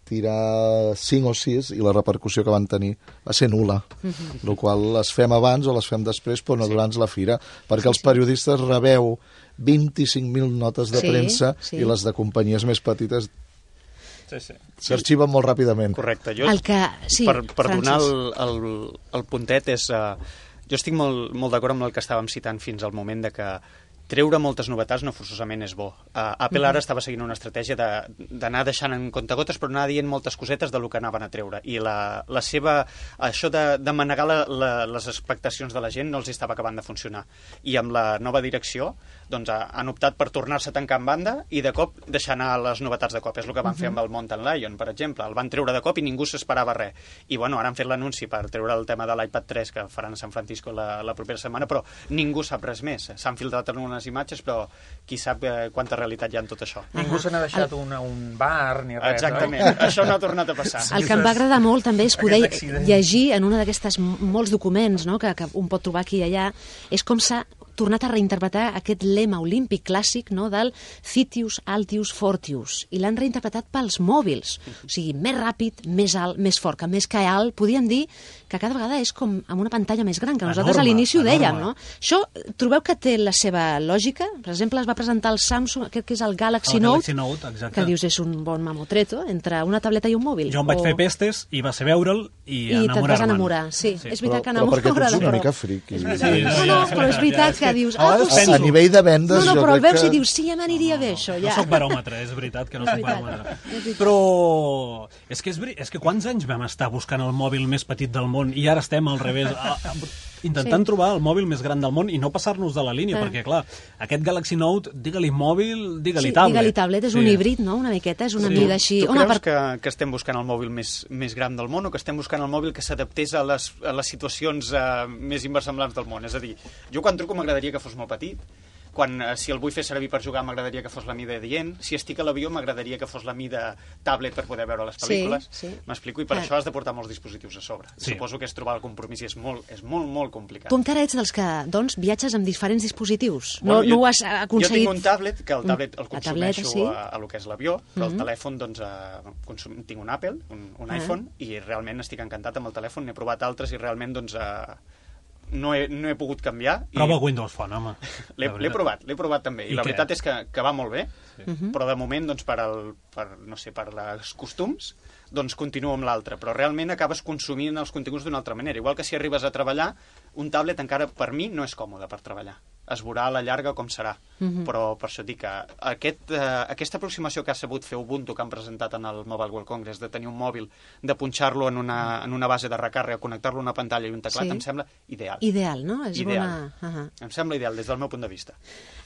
E: tirar cinc o sis i la repercussió que van tenir va ser nul·la, uh-huh. el qual les fem abans o les fem després, però no sí. durant la fira, perquè sí, els periodistes sí. rebeu vint-i-cinc mil notes de sí, premsa sí. i les de companyies més petites sí, sí. s'arxiven molt ràpidament.
G: Correcte. Jo,
B: el que... sí,
G: per per donar el, el, el puntet és... Uh, jo estic molt, molt d'acord amb el que estàvem citant fins al moment de que treure moltes novetats no forçosament és bo. Uh, Apple ara estava seguint una estratègia d'anar de, deixant en comptagotes, però anar dient moltes cosetes de lo que anaven a treure. I la, la seva, això de, de manegar la, la, les expectacions de la gent no els estava acabant de funcionar. I amb la nova direcció doncs, han optat per tornar-se a tancar en banda i de cop deixar anar les novetats de cop. És el que van uh -huh. fer amb el Mountain Lion, per exemple. El van treure de cop i ningú s'esperava res. I bueno, ara han fet l'anunci per treure el tema de l'iPad tres que faran a San Francisco la, la propera setmana, però ningú sap res més. S'han filtrat en unes imatges, però qui sap eh, quanta realitat hi ha en tot això.
F: Ningú se n'ha deixat el... una, un bar ni res.
G: Exactament,
F: oi?
G: Això no ha tornat a passar.
B: El que em va agradar molt també és poder llegir en una d'aquestes molts documents, no?, que, que un pot trobar aquí i allà, és com s'ha tornat a reinterpretar aquest lema olímpic clàssic, no?, del Citius, Altius, Fortius, i l'han reinterpretat pels mòbils. O sigui, més ràpid, més alt, més fort, que més que alt, podríem dir que cada vegada és com amb una pantalla més gran, que nosaltres
D: enorme,
B: a l'inici ho dèiem,
D: enorme.
B: no? Això, trobeu que té la seva lògica? Per exemple, es va presentar el Samsung, aquest que és el Galaxy,
D: el
B: Note,
D: Galaxy Note, exacte.
B: que dius és un bon mamotreto entre una tableta i un mòbil.
D: Jo em vaig
B: o...
D: fer pestes i va ser veure'l i,
B: I te't vas
D: enamorar-me'n.
B: enamorar, sí.
D: Sí.
B: És veritat
E: Però,
B: que
E: però perquè
B: enamora,
E: tu ets una
B: però...
E: mica friqui.
D: Sí,
B: No,
D: sí,
B: no, però és veritat que dius...
E: A,
B: Ah, tu sí.
E: a nivell de vendes,
B: No, no,
E: jo
B: però el
E: crec
B: veus
E: que...
B: i dius, sí, ja m'aniria bé, això,
D: No
B: ja.
D: soc baròmetre, és veritat que no
B: És
D: soc
B: veritat,
D: baròmetre.
B: és veritat.
D: Però és que, és, veri- és que quants anys vam estar buscant el mòbil més petit del món i ara estem al revés, a, a, intentant
B: Sí.
D: trobar el mòbil més gran del món i no passar-nos de la línia,
B: Ah.
D: perquè, clar, aquest Galaxy Note, digue-li mòbil, digue-li
B: Sí,
D: tablet.
B: digue-li tablet, és un híbrid, no?, una miqueta, és una
D: Sí.
B: mida així...
G: Tu
B: Home,
G: creus
B: per...
G: que, que estem buscant el mòbil més, més gran del món o que estem buscant el mòbil que s'adaptés a, les, a les situacions eh, més inversemblants del món? És a dir, jo quan truco m'agradaria que fos molt petit, quan, eh, si el vull fer servir per jugar m'agradaria que fos la mida dient, si estic a l'avió m'agradaria que fos la mida tablet per poder veure les
B: Sí,
G: pel·lícules.
B: sí.
G: M'explico? I per
B: Ah.
G: això has de portar molts dispositius a sobre.
D: Sí.
G: Suposo que és trobar el compromís i és molt, és molt, molt complicat.
B: Tu encara ets dels que, doncs, viatges amb diferents dispositius.
G: Bueno,
B: No, no ho has aconseguit...
G: Jo tinc un tablet, que el tablet el
B: La tableta,
G: consumeixo
B: sí.
G: a, a lo que és l'avió, però
B: Mhm.
G: el telèfon, doncs, a, consum, tinc un Apple, un, un
B: Ah.
G: iPhone, i realment estic encantat amb el telèfon, n'he provat altres i realment, doncs, a, no, he, no he pogut canviar. I
D: Prova Windows Phone, home.
G: L'he
D: La
G: l'he
D: veritat.
G: provat, l'he provat també, i,
D: I
G: la
D: què?
G: veritat és que, que va molt bé,
B: Mhm.
G: però de moment, doncs, per, el, per, no sé, per els costums, doncs continuo amb l'altre, però realment acabes consumint els continguts d'una altra manera. Igual que si arribes a treballar, un tablet encara per mi no és còmode per treballar. Es veurà a la llarga com serà.
B: Mhm.
G: Però per això et dic que aquest, eh, aquesta aproximació que ha sabut fer Ubuntu, que han presentat en el Mobile World Congress, de tenir un mòbil, de punxar-lo en, una, en una base de recàrrega, connectar-lo a una pantalla i un teclat,
B: Sí.
G: em sembla ideal.
B: Ideal, no? És
G: Ideal.
B: bona... Uh -huh.
G: Em sembla ideal des del meu punt de vista.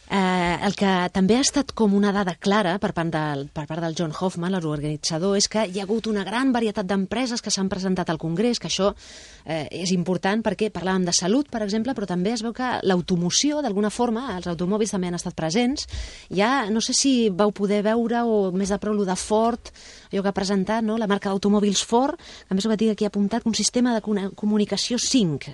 B: Eh, el que també ha estat com una dada clara per part del, per part del John Hoffman, l'organitzador, és que hi ha hagut una gran varietat d'empreses que s'han presentat al Congrés, que això eh, és important perquè parlàvem de salut, per exemple, però també es veu que l'automoció, d'alguna forma, els automòbils també han estat presents. Ja no sé si vau poder veure, o més de prou, lo de Ford, allò que ha presentat, no?, la marca d'automòbils Ford, que a més ho va dir aquí apuntat, un sistema de comunicació cinc.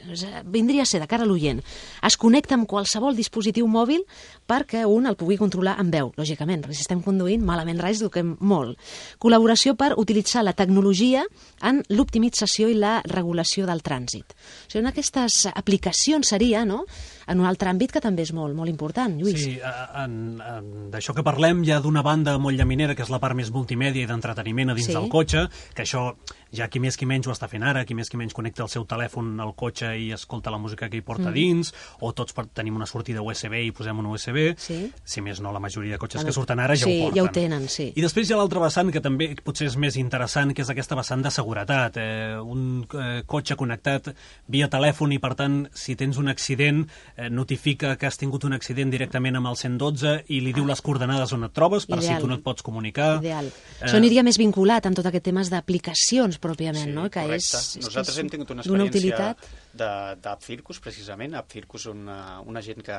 B: Vindria a ser, de cara a l'oient, es connecta amb qualsevol dispositiu mòbil perquè un el pugui controlar amb veu, lògicament, perquè si estem conduint, malament res, duquem molt. Col·laboració per utilitzar la tecnologia en l'optimització i la regulació del trànsit. O sigui, en aquestes aplicacions seria, no?, en un altre àmbit que també és molt, molt important, Lluís.
D: Sí, en, en, d'això que parlem ja d'una banda molt llaminera, que és la part més multimèdia i d'entreteniment a dins
B: Sí.
D: del cotxe, que això ja qui més qui menys ho està fent ara, qui més qui menys connecta el seu telèfon al cotxe i escolta la música que hi porta
B: Mm.
D: dins, o tots per, tenim una sortida U S B i posem un U S B,
B: Sí.
D: si més no, la majoria de cotxes
B: Bueno,
D: que surten ara ja
B: sí,
D: ho porten.
B: ja ho tenen, sí.
D: I després hi ha l'altra vessant, que també potser és més interessant, que és aquesta vessant de seguretat. Eh, un eh, cotxe connectat via telèfon i, per tant, si tens un accident, eh, notifica que has tingut un accident directament amb el cent dotze i li diu les coordenades on et trobes, per
B: Ideal.
D: si tu no et pots comunicar.
B: Ideal.
D: Eh,
B: Això aniria més vinculat amb tot aquest temes d'aplicacions, pròpiament, no?, que
G: correcte.
B: és, és
G: Nosaltres
B: que és
G: hem tingut una
B: d'una
G: experiència
B: utilitat.
G: de- d'AppCircus, precisament. AppCircus, una, una gent que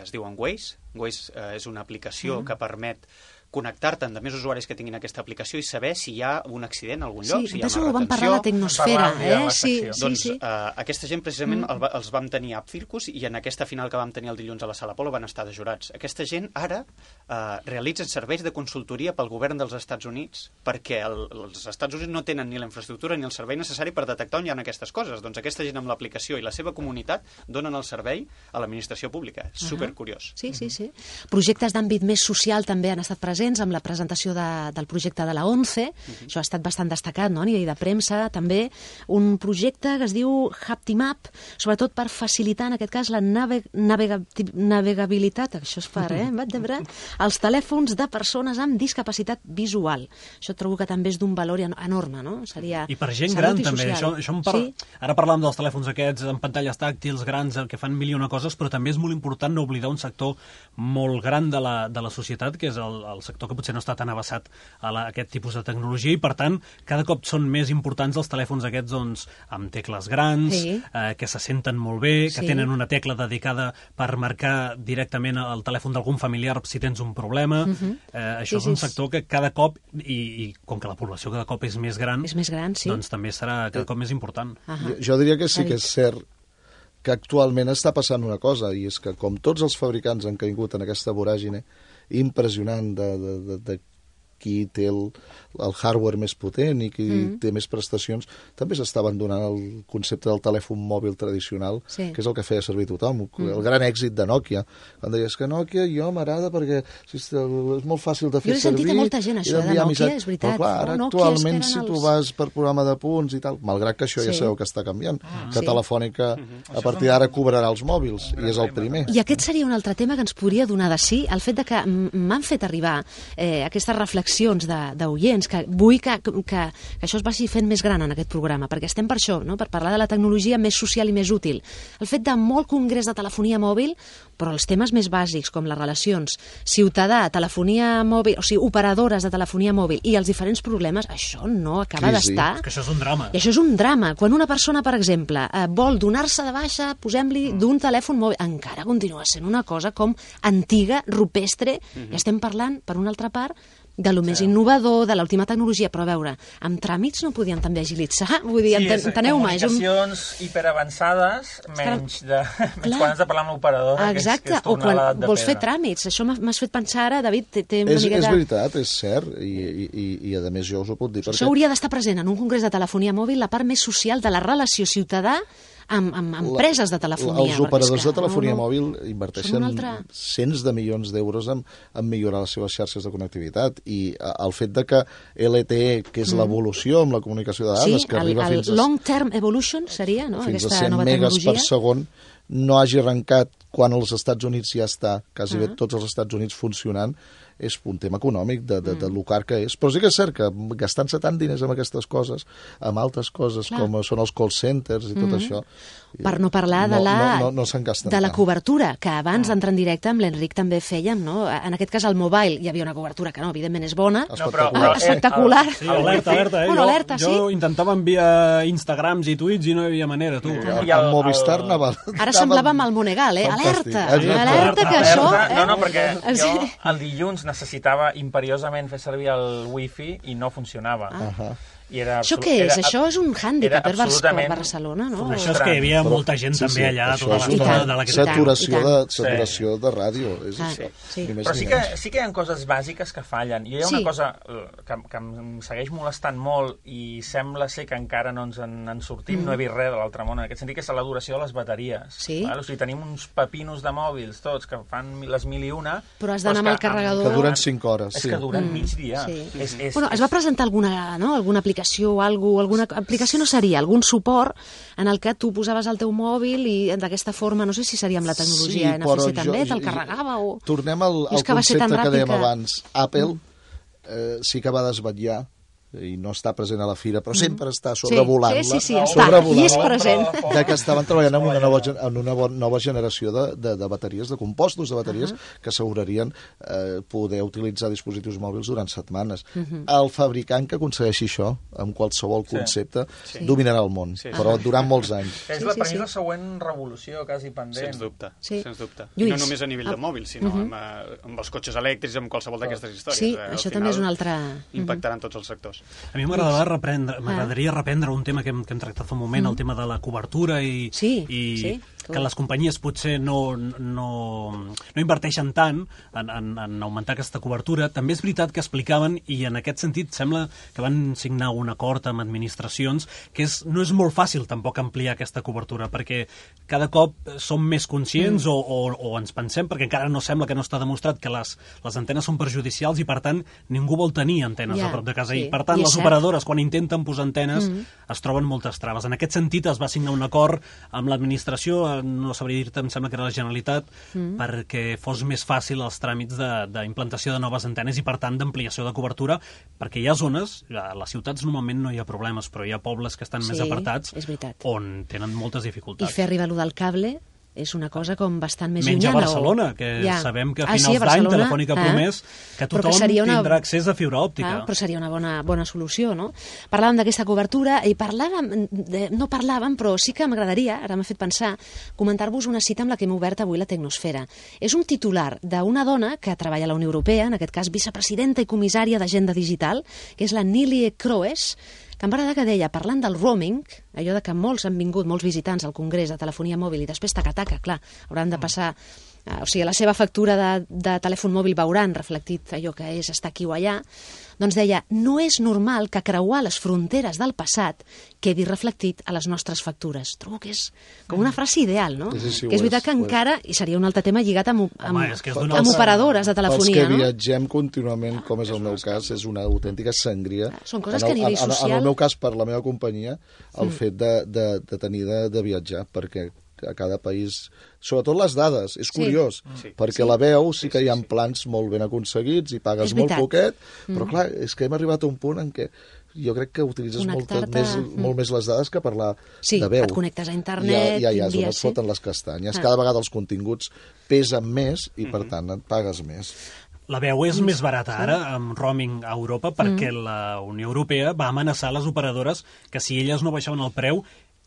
G: es diu Waze. Waze eh, és una aplicació
B: Mm.
G: que permet connectar-te amb més usuaris que tinguin aquesta aplicació i saber si hi ha un accident a algun lloc,
B: Sí,
G: si hi ha
B: d'això
G: una
B: ho vam
G: retenció.
B: parlar a la Tecnosfera,
F: Parlàvem ja a
B: eh?
F: la
B: Sí,
F: secció.
B: sí,
G: Doncs
B: sí.
G: eh, aquesta gent precisament
B: Mm.
G: el, va- els vam tenir a AppCircus i en aquesta final que vam tenir el dilluns a la Sala Polo van estar de jurats. Aquesta gent ara eh, realitzen serveis de consultoria pel govern dels Estats Units perquè el, els Estats Units no tenen ni la infraestructura ni el servei necessari per detectar on hi ha aquestes coses. Doncs aquesta gent amb l'aplicació i la seva comunitat donen el servei a l'administració pública. És supercuriós.
B: Sí, sí, sí. Projectes d'àmbit més social també han estat presents presents amb la presentació de, del projecte de la ONCE, uh-huh. Això ha estat bastant destacat, no?, a nivell de premsa, també un projecte que es diu HaptiMap, sobretot per facilitar, en aquest cas, la nave, navega, navegabilitat, això es fa, eh, als telèfons de persones amb discapacitat visual. Això trobo que també és d'un valor enorme, no? Seria
D: I per gent gran, també. Això, això par... sí? Ara parlàvem dels telèfons aquests amb pantalles tàctils grans, que fan mil i una coses, però també és molt important no oblidar un sector molt gran de la, de la societat, que és el, el sector que potser no està tan avasat a, la, a aquest tipus de tecnologia, i per tant, cada cop són més importants els telèfons aquests doncs, amb tecles grans, sí. eh, que se senten molt bé, que sí. tenen una tecla dedicada per marcar directament el telèfon d'algun familiar si tens un problema. Uh-huh. eh, això sí, és un sector que cada cop, i, i com que la població cada cop és més gran,
B: és més gran sí.
D: doncs també serà cada cop més important.
E: Uh-huh. jo, jo diria que sí que és cert que actualment està passant una cosa, i és que com tots els fabricants han caigut en aquesta voràgine impressionant de, de, de, de qui té el, el hardware més potent i qui mm. té més prestacions, també s'està abandonant el concepte del telèfon mòbil tradicional, sí. que és el que feia servir tothom. Mm. El gran èxit de Nokia. Quan deies que Nokia jo m'agrada perquè si és, és molt fàcil de fer servir.
B: Jo he sentit a molta gent això, de Nokia, missat. És veritat.
E: Però clar, ara oh, actualment, si tu els... vas per programa de punts i tal, malgrat que això sí. ja sabeu que està canviant, ah, que sí. Telefònica a partir d'ara cobrarà els mòbils, i és el primer.
B: I aquest seria un altre tema que ens podria donar de sí, el fet de que m'han fet arribar eh, aquestes reflexions d'oients, que vull que, que, que això es vagi fent més gran en aquest programa, perquè estem per això, no? Per parlar de la tecnologia més social i més útil. El fet de molt congrés de telefonia mòbil, però els temes més bàsics, com les relacions ciutadà, telefonia mòbil, o sigui, operadores de telefonia mòbil i els diferents problemes, això no acaba d'estar.
D: És que això és un drama.
B: I això és un drama. Quan una persona, per exemple, eh, vol donar-se de baixa, posem-li d'un telèfon mòbil, encara continua sent una cosa com antiga, rupestre, mm-hmm. i estem parlant, per una altra part, de lo més sí. innovador, de l'última tecnologia, però a veure, amb tràmits no podien també agilitzar? Vull dir, sí, enteneu-me.
F: Comunicacions un... hiperavançades, menys, de, menys quan has de parlar amb l'operadora, que, que és tornar a l'edat de
B: vols
F: pedra.
B: Fer tràmits. Això m'has fet pensar ara, David, té, té una
E: és,
B: miqueta...
E: És veritat, és cert, i, i, i, i a més jo us ho puc dir.
B: Això
E: perquè...
B: hauria d'estar present en un congrés de telefonia mòbil, la part més social de la relació ciutadà amb, amb empreses de telefonia.
E: Els operadors de telefonia no, no, mòbil inverteixen altre... cents de milions d'euros en, en millorar les seves xarxes de connectivitat, i el fet de que L T E, que és mm. l'evolució amb la comunicació de dades,
B: sí,
E: que arriba
B: el,
E: fins
B: a... long term evolution seria, no?
E: Fins
B: Aquesta
E: a cent
B: nova
E: megas
B: tecnologia.
E: per segon, no hagi arrencat quan als Estats Units ja està, quasi uh -huh. bé tots els Estats Units funcionant, és un tema econòmic de, de, de lo car que és. Però sí que és cert que gastant-se tant diners amb aquestes coses, amb altres coses, clar, com són els call centers i tot mm-hmm. això...
B: Per no parlar de la,
E: no, no, no, no
B: de la cobertura, que abans d'entrar en directe amb l'Enric també fèiem, no? En aquest cas, al mobile hi havia una cobertura que no, evidentment és bona.
E: No, però,
B: ah, espectacular.
D: Sí, alerta, alerta, eh?
B: Bueno,
D: jo,
B: alerta,
D: jo
B: sí?
D: intentava enviar Instagrams i tuits i no hi havia manera, tu.
E: I el, el Movistar anava...
B: Ara semblava amb el Monegal, eh? Alerta, alerta, que això...
F: No, no, perquè jo el dilluns necessitava imperiosament fer servir el wifi i no funcionava.
E: Ah.
F: I era
B: això què és? Era, això és un hàndicap per Barcelona, no?
D: Això és que hi havia molta gent
E: sí,
D: també
E: sí,
D: allà,
E: això
D: tota
E: és
D: l'estona
E: una
D: de la
E: saturació, de, saturació sí. de ràdio. És
B: ah,
E: això.
B: Sí.
F: Però sí que, sí que hi ha coses bàsiques que fallen. I hi ha una sí. cosa que, que em segueix molestant molt i sembla ser que encara no ens en, en sortim, mm. no he vist res de l'altre món, en aquest sentit, que és la duració de les bateries.
B: Sí.
F: Val? O sigui, tenim uns pepinos de mòbils tots que fan les mil i una...
B: Però has d'anar amb el carregador...
E: Que duren cinc hores.
F: És
E: sí.
F: que duren
B: mm.
F: mig dia.
B: Sí.
F: És, és,
B: bueno, es va presentar alguna, no? alguna aplicació o alguna alguna aplicació no seria, algun suport en el que tu posaves el teu mòbil i d'aquesta forma, no sé si seria amb la tecnologia
E: sí,
B: N F C també, te'l carregava o...
E: Tornem al, al concepte que, que dèiem que... abans. Apple mm. eh, sí que va desvetllar i no està present a la fira, però sempre està sobrevolant-la.
B: Sí, sí, sí, sí està, i és present.
E: De que estaven treballant en una nova, en una nova generació de, de, de bateries, de compostos de bateries, uh -huh. que assegurarien eh, poder utilitzar dispositius mòbils durant setmanes. Uh -huh. El fabricant que aconsegueixi això, amb qualsevol concepte, sí. dominarà el món, sí. però durant molts anys.
F: És la, per mi, la següent revolució, quasi pendent.
G: Sens dubte,
B: sí.
G: sens dubte.
B: Lluís.
G: I no només a nivell de mòbil, sinó uh -huh. amb, amb els cotxes elèctrics, amb qualsevol d'aquestes històries.
B: Sí,
G: eh,
B: això també és una altra...
G: Impactaran tots els sectors.
D: A mi m'agradaria reprendre, m'agradaria reprendre un tema que hem, que hem tractat fa un moment, mm. el tema de la cobertura i,
B: sí,
D: i
B: sí.
D: que les companyies potser no, no, no inverteixen tant en, en, en augmentar aquesta cobertura. També és veritat que explicaven, i en aquest sentit sembla que van signar un acord amb administracions, que és, no és molt fàcil tampoc ampliar aquesta cobertura, perquè cada cop som més conscients mm. o, o, o ens pensem, perquè encara no sembla que no està demostrat que les, les antenes són perjudicials i, per tant, ningú vol tenir antenes yeah, a prop de casa. Sí. I, per tant, I les cert. operadores, quan intenten posar antenes, mm. es troben moltes traves. En aquest sentit, es va signar un acord amb l'administració, no sabria dir-te, em sembla que era la Generalitat, mm. perquè fos més fàcil els tràmits d'implantació de, de noves antenes i, per tant, d'ampliació de cobertura, perquè hi ha zones, a les ciutats normalment no hi ha problemes, però hi ha pobles que estan
B: sí,
D: més apartats on tenen moltes dificultats.
B: I fer arribar allò del cable és una cosa com bastant més
D: Menys
B: llunyana.
D: Menys a Barcelona,
B: o...
D: que
B: ja.
D: sabem que a
B: ah,
D: finals
B: sí, a
D: d'any Telefònica ha promès que tothom
B: que una...
D: tindrà accés a fibra òptica.
B: Ah, però seria una bona, bona solució, no? Parlàvem d'aquesta cobertura i parlàvem, de... no parlàvem, però sí que m'agradaria, ara m'ha fet pensar, comentar-vos una cita amb la que hem obert avui la Tecnosfera. És un titular d'una dona que treballa a la Unió Europea, en aquest cas vicepresidenta i comissària d'Agenda Digital, que és la Nilie Kroes, que em va agradar que deia, parlant del roaming, allò de que molts han vingut, molts visitants al Congrés de Telefonia Mòbil i després taca-taca, clar, hauran de passar... Eh, o sigui, la seva factura de, de telèfon mòbil veuran reflectit allò que és estar aquí o allà, doncs deia, no és normal que creuar les fronteres del passat quedi reflectit a les nostres factures. Trobo que és com una frase ideal, no?
E: Sí, sí,
B: que és veritat
E: és,
B: que encara, i seria un altre tema lligat amb, amb,
D: Home, és que és
B: amb operadores de telefonia,
E: no? Els que
B: no?
E: viatgem contínuament, com és el meu cas, és una autèntica sangria.
B: Són coses que a nivell social...
E: En el meu cas, per la meva companyia, el mm. fet de, de, de tenir de, de viatjar, perquè a cada país, sobretot les dades, és curiós, sí. perquè sí. la veu sí que hi ha plans molt ben aconseguits i pagues molt poquet, però mm. clar, és que hem arribat a un punt en què jo crec que utilitzes molt més, mm. molt més les dades que parlar
B: sí,
E: de veu.
B: Sí, et connectes a internet...
E: Ja, ja, ja és on et foten les castanyes. Ah. Cada vegada els continguts pesen més i, per tant, et pagues més.
D: La veu és més barata ara, amb roaming a Europa, perquè mm. la Unió Europea va amenaçar les operadores que si elles no baixaven el preu,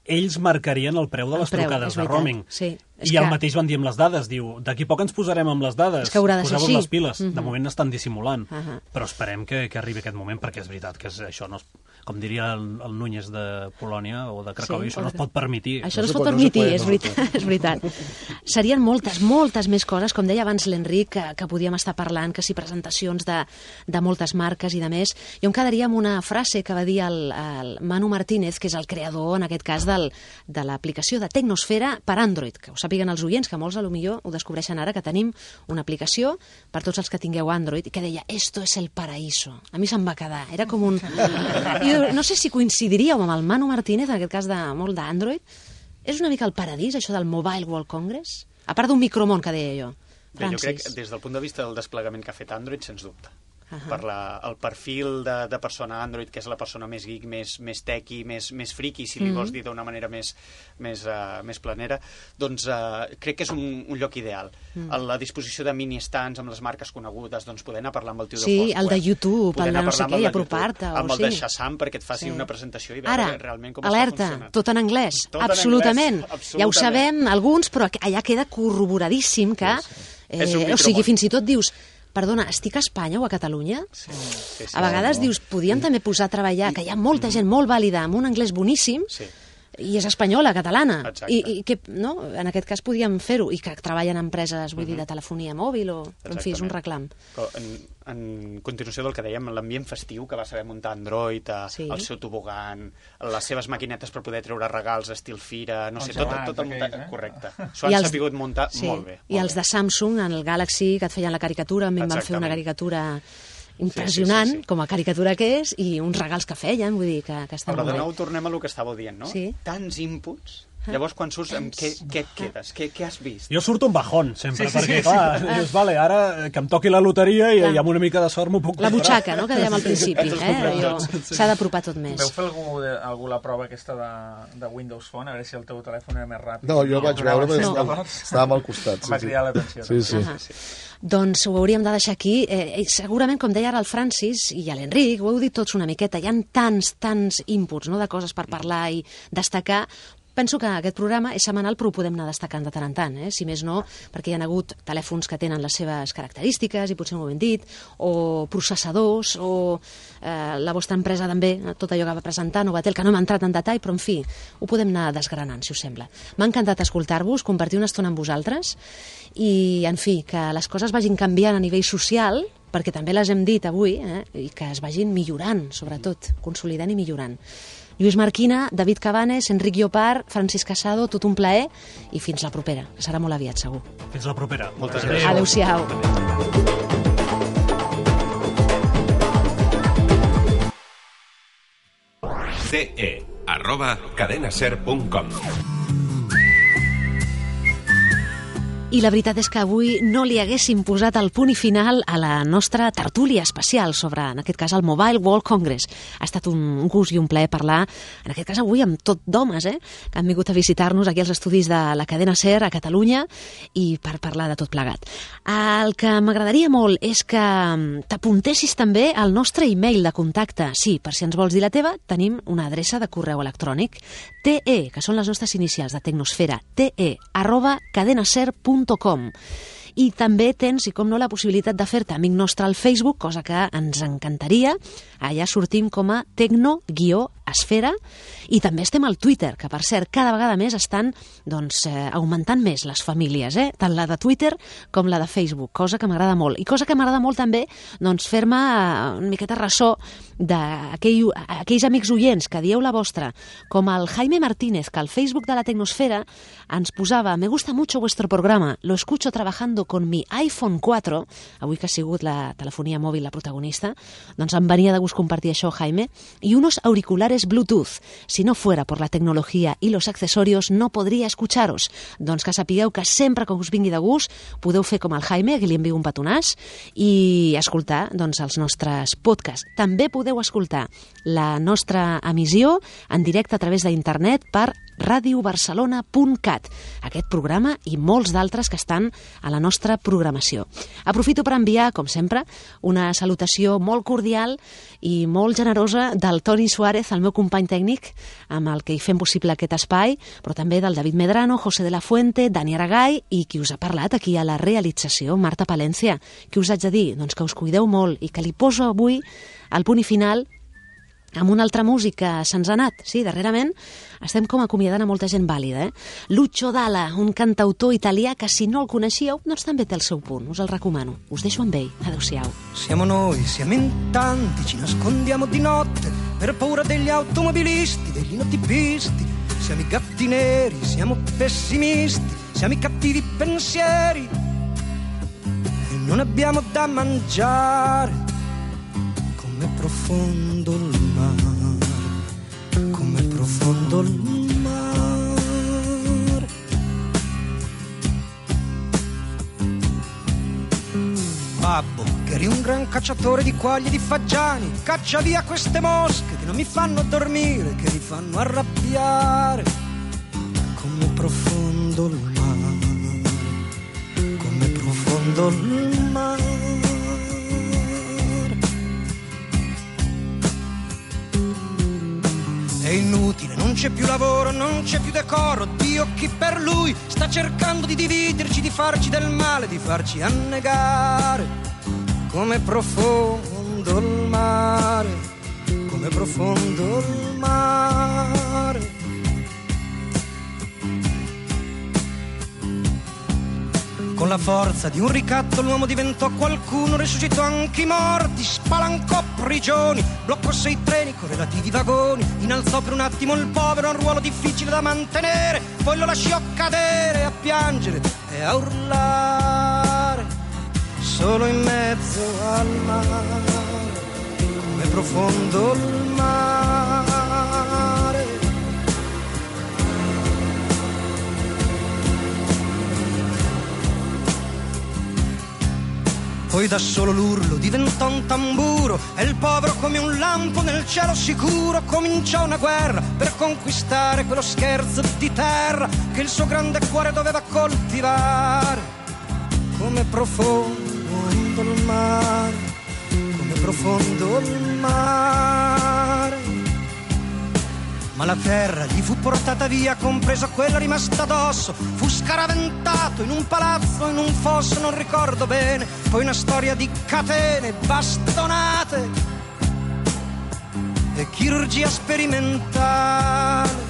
D: ells marcarien el preu de les preu, trucades de roaming.
B: Sí.
D: I el que... mateix van dir amb les dades. Diu, d'aquí poc ens posarem amb les dades.
B: És que haurà de ser així.
D: Les piles. Uh-huh. De moment estan dissimulant.
B: Uh-huh.
D: Però esperem que, que arribi aquest moment, perquè és veritat que és, això no es, com diria el, el Núñez de Polònia o de Cracòvia, sí, això no es pot permetir.
B: Això no, no es pot permetir, no és, veritat, és veritat. Serien moltes, moltes més coses, com deia abans l'Enric, que, que podíem estar parlant, que si presentacions de, de moltes marques i de més. Jo em quedaria amb una frase que va dir el, el Manu Martínez, que és el creador, en aquest cas, del, de l'aplicació de Tecnosfera per Android, que ho sàpiguen els oients, que molts a lo millor ho descobreixen ara, que tenim una aplicació per tots els que tingueu Android, que deia, esto es el paraíso. A mi se'm va quedar. Era com un... Jo no sé si coincidiríeu amb el Manu Martínez, en aquest cas de molt d'Android. És una mica el paradís, això del Mobile World Congress? A part d'un micromón, que deia jo.
G: Bé, jo crec que des del punt de vista del desplegament que ha fet Android, sens dubte. Uh-huh. Per la, el perfil de, de persona Android, que és la persona més geek, més, més tequi, més, més friki, si li uh-huh. vols dir d'una manera més, més, uh, més planera, doncs uh, crec que és un, un lloc ideal. Uh-huh. A la disposició de mini-stands amb les marques conegudes, doncs poder anar a parlar amb el tio
B: sí, de Foursquare. Sí, el de YouTube, el de no sé què, i apropar-te.
G: Amb el
B: sí.
G: de Shazam, perquè et faci sí. una presentació i veure
B: Ara,
G: realment com
B: alerta,
G: està funcionant.
B: tot en anglès,
G: tot
B: absolutament.
G: En anglès, absolutament.
B: Ja ho sabem alguns, però allà queda corroboradíssim que... Sí, sí. Eh, o sigui, fins i tot dius... Perdona, estic a Espanya o a Catalunya? Sí, sí, sí, a vegades no, no. dius, podíem sí. també posar a treballar, que hi ha molta gent molt vàlida amb un anglès boníssim, sí. i és espanyola, catalana. I, i que, no? En aquest cas podíem fer-ho, i que treballen en empreses, vull uh-huh. dir, de telefonia mòbil, o, en fi, és un reclam.
G: En, en continuació del que dèiem, l'ambient festiu, que va saber muntar Android, sí. el seu tobogan, les seves maquinetes per poder treure regals estil fira, no sé, tot, tot el muntat, eh? Correcte. S'ho han els, sapigut muntar
B: sí. molt bé. Molt
G: I
B: els de Samsung, en el Galaxy, que et feien la caricatura, a mi em van fer una caricatura... impressionant, sí, sí, sí, sí. com a caricatura que és, i uns regals que feien, vull dir, que, que estan
G: Però
B: molt bé.
G: de nou tornem a lo que estàveu dient, no?
B: Sí.
G: Tants inputs, llavors quan surts, amb què, què et quedes? Què, què has vist?
D: Jo surto un bajón, sempre, sí, sí, perquè,
G: sí,
D: clar,
G: sí.
D: dius, vale, ara que em toqui la loteria i, i amb una mica de sort m'ho puc comprar.
B: La butxaca, no?, que dèiem al principi, eh? S'ha d'apropar tot més.
F: Veu fer algú, algú la prova aquesta de, de Windows Phone, a veure si el teu telèfon era més ràpid?
E: No, jo vaig veure, però no. estava, estàvem al costat.
F: Em va cridar l'atenció.
E: Sí, sí.
B: Uh -huh. Doncs ho hauríem de deixar aquí. Eh, segurament, com deia ara el Francis i l'Enric, ho heu dit tots una miqueta, hi ha tants, tants inputs, no?, de coses per parlar i destacar, penso que aquest programa és setmanal, però ho podem anar destacant de tant en tant, eh? Si més no, perquè hi ha hagut telèfons que tenen les seves característiques, i potser no ho hem dit, o processadors, o eh, la vostra empresa també, tot allò que va presentar, Novatel, que no hem entrat en detall, però en fi, ho podem anar desgranant, si us sembla. M'ha encantat escoltar-vos, compartir una estona amb vosaltres, i, en fi, que les coses vagin canviant a nivell social, perquè també les hem dit avui, eh? I que es vagin millorant, sobretot, consolidant i millorant. Lluís Marquina, David Cabanes, Enric Llopart, Francisc Casado, tot un plaer, i fins la propera, que serà molt aviat, segur.
D: Fins la propera.
G: Moltes gràcies.
B: Adéu-siau.
A: ce arroba cadenaser punt com.
B: I la veritat és que avui no li haguéssim posat el punt i final a la nostra tertúlia especial sobre, en aquest cas, el Mobile World Congress. Ha estat un gust i un plaer parlar, en aquest cas avui, amb tot d'homes, eh, que han vingut a visitar-nos aquí als estudis de la cadena SER a Catalunya i per parlar de tot plegat. El que m'agradaria molt és que t'apuntessis també al nostre e-mail de contacte. Sí, per si ens vols dir la teva, tenim una adreça de correu electrònic, te, que són les nostres inicials de Tecnosfera, te arroba cadenaser punt com. I també tens, i com no, la possibilitat de fer-te amic nostre al Facebook, cosa que ens encantaria. Allà sortim com a tecno-esfera, i també estem al Twitter, que per cert cada vegada més estan doncs, eh, augmentant més les famílies, eh? Tant la de Twitter com la de Facebook, cosa que m'agrada molt. I cosa que m'agrada molt també doncs, fer-me una miqueta ressò d'aquells amics oients que dieu la vostra, com el Jaime Martínez, que al Facebook de la Tecnosfera ens posava: me gusta mucho vuestro programa, lo escucho trabajando con mi iPhone cuatro, avui que ha sigut la telefonia mòbil la protagonista, doncs em venia de gust compartir això, Jaime, y unos auriculares Bluetooth. Si no fuera por la tecnología y los accesorios, no podria escucharos. Doncs que sapigueu que sempre que us vingui de gust podeu fer com el Jaime, que li envio un petonàs, i escoltar doncs, els nostres podcasts. També podeu escoltar la nostra emissió en directe a través d'internet per radio barcelona punt cat, aquest programa i molts d'altres que estan a la nostra programació. Aprofito per enviar, com sempre, una salutació molt cordial i molt generosa del Toni Suárez, el meu company tècnic, amb el que hi fem possible aquest espai, però també del David Medrano, José de la Fuente, Dani Aragay i qui us ha parlat aquí a la realització, Marta Palencia. Què us haig de dir? Doncs que us cuideu molt i que li poso avui el punt i final amb una altra música. Se'ns ha anat, sí, darrerament estem com acomiadant a molta gent vàlida, eh? Lucio Dalla, un cantautor italià que si no el coneixíeu, doncs també té el seu punt, us el recomano. Us deixo amb ell, adeu-siau.
H: Siamo noi, siamo in tanti, ci nascondiamo di notte per paura degli automobilisti, degli notipisti. Siamo i gatti neri, siamo pessimisti, siamo i cattivi pensieri e non abbiamo da mangiare. Com'è profondo il mare, com'è profondo il mare. Babbo, che eri un gran cacciatore di quaglie e di fagiani, caccia via queste mosche che non mi fanno dormire, che mi fanno arrabbiare. Com'è profondo il mare, com'è profondo il mare. È inutile, non c'è più lavoro, non c'è più decoro. Dio, chi per lui sta cercando di dividerci, di farci del male, di farci annegare. Com'è profondo il mare, com'è profondo il mare. Con la forza di un ricatto l'uomo diventò qualcuno, risuscitò anche i morti, spalancò prigioni, bloccò sei treni con relativi vagoni, innalzò per un attimo il povero a un ruolo difficile da mantenere, poi lo lasciò cadere a piangere e a urlare, solo in mezzo al mare, come profondo il mare. Poi da solo l'urlo diventò un tamburo e il povero come un lampo nel cielo sicuro cominciò una guerra per conquistare quello scherzo di terra che il suo grande cuore doveva coltivare. Come profondo il mare, come profondo il mare. ma la terra gli fu portata via, compresa quella rimasta addosso. Fu scaraventato in un palazzo, in un fosso, non ricordo bene. Poi una storia di catene, bastonate e chirurgia sperimentale.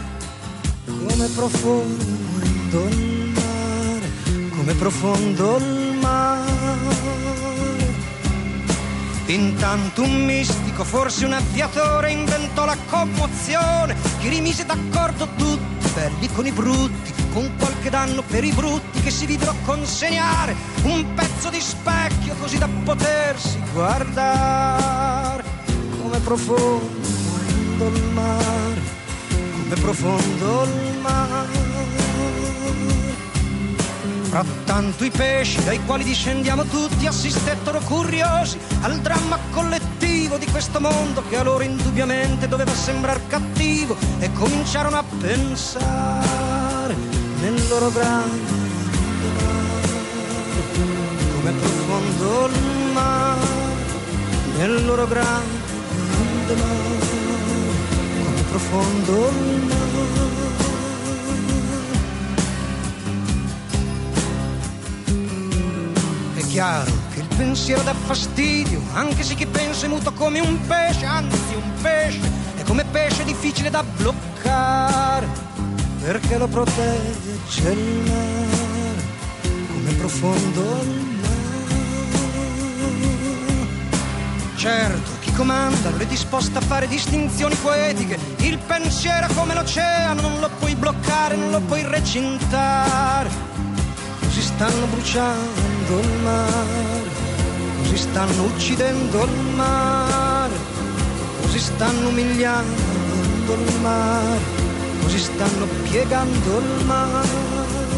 H: Come profondo il mare, come profondo il mare. Intanto un mistico, forse un aviatore, inventò la commozione che rimise d'accordo tutti, belli con i brutti, con qualche danno per i brutti, che si videro consegnare un pezzo di specchio così da potersi guardare. Come profondo il mare, come profondo il mare. Frattanto i pesci, dai quali discendiamo tutti, assistettero curiosi al dramma collettivo di questo mondo che a loro indubbiamente doveva sembrar cattivo, e cominciarono a pensare nel loro grande mare. Come profondo il mare, nel loro grande mare. Come profondo il mare. È chiaro che il pensiero dà fastidio, anche se chi pensa è muto come un pesce, anzi un pesce è come pesce difficile da bloccare, perché lo protegge il mare, come profondo il mare. Certo, chi comanda non è disposto a fare distinzioni poetiche, il pensiero è come l'oceano, non lo puoi bloccare, non lo puoi recintare. Così stanno bruciando il mare, così stanno uccidendo il mare, così stanno umiliando il mare, così stanno piegando il mare.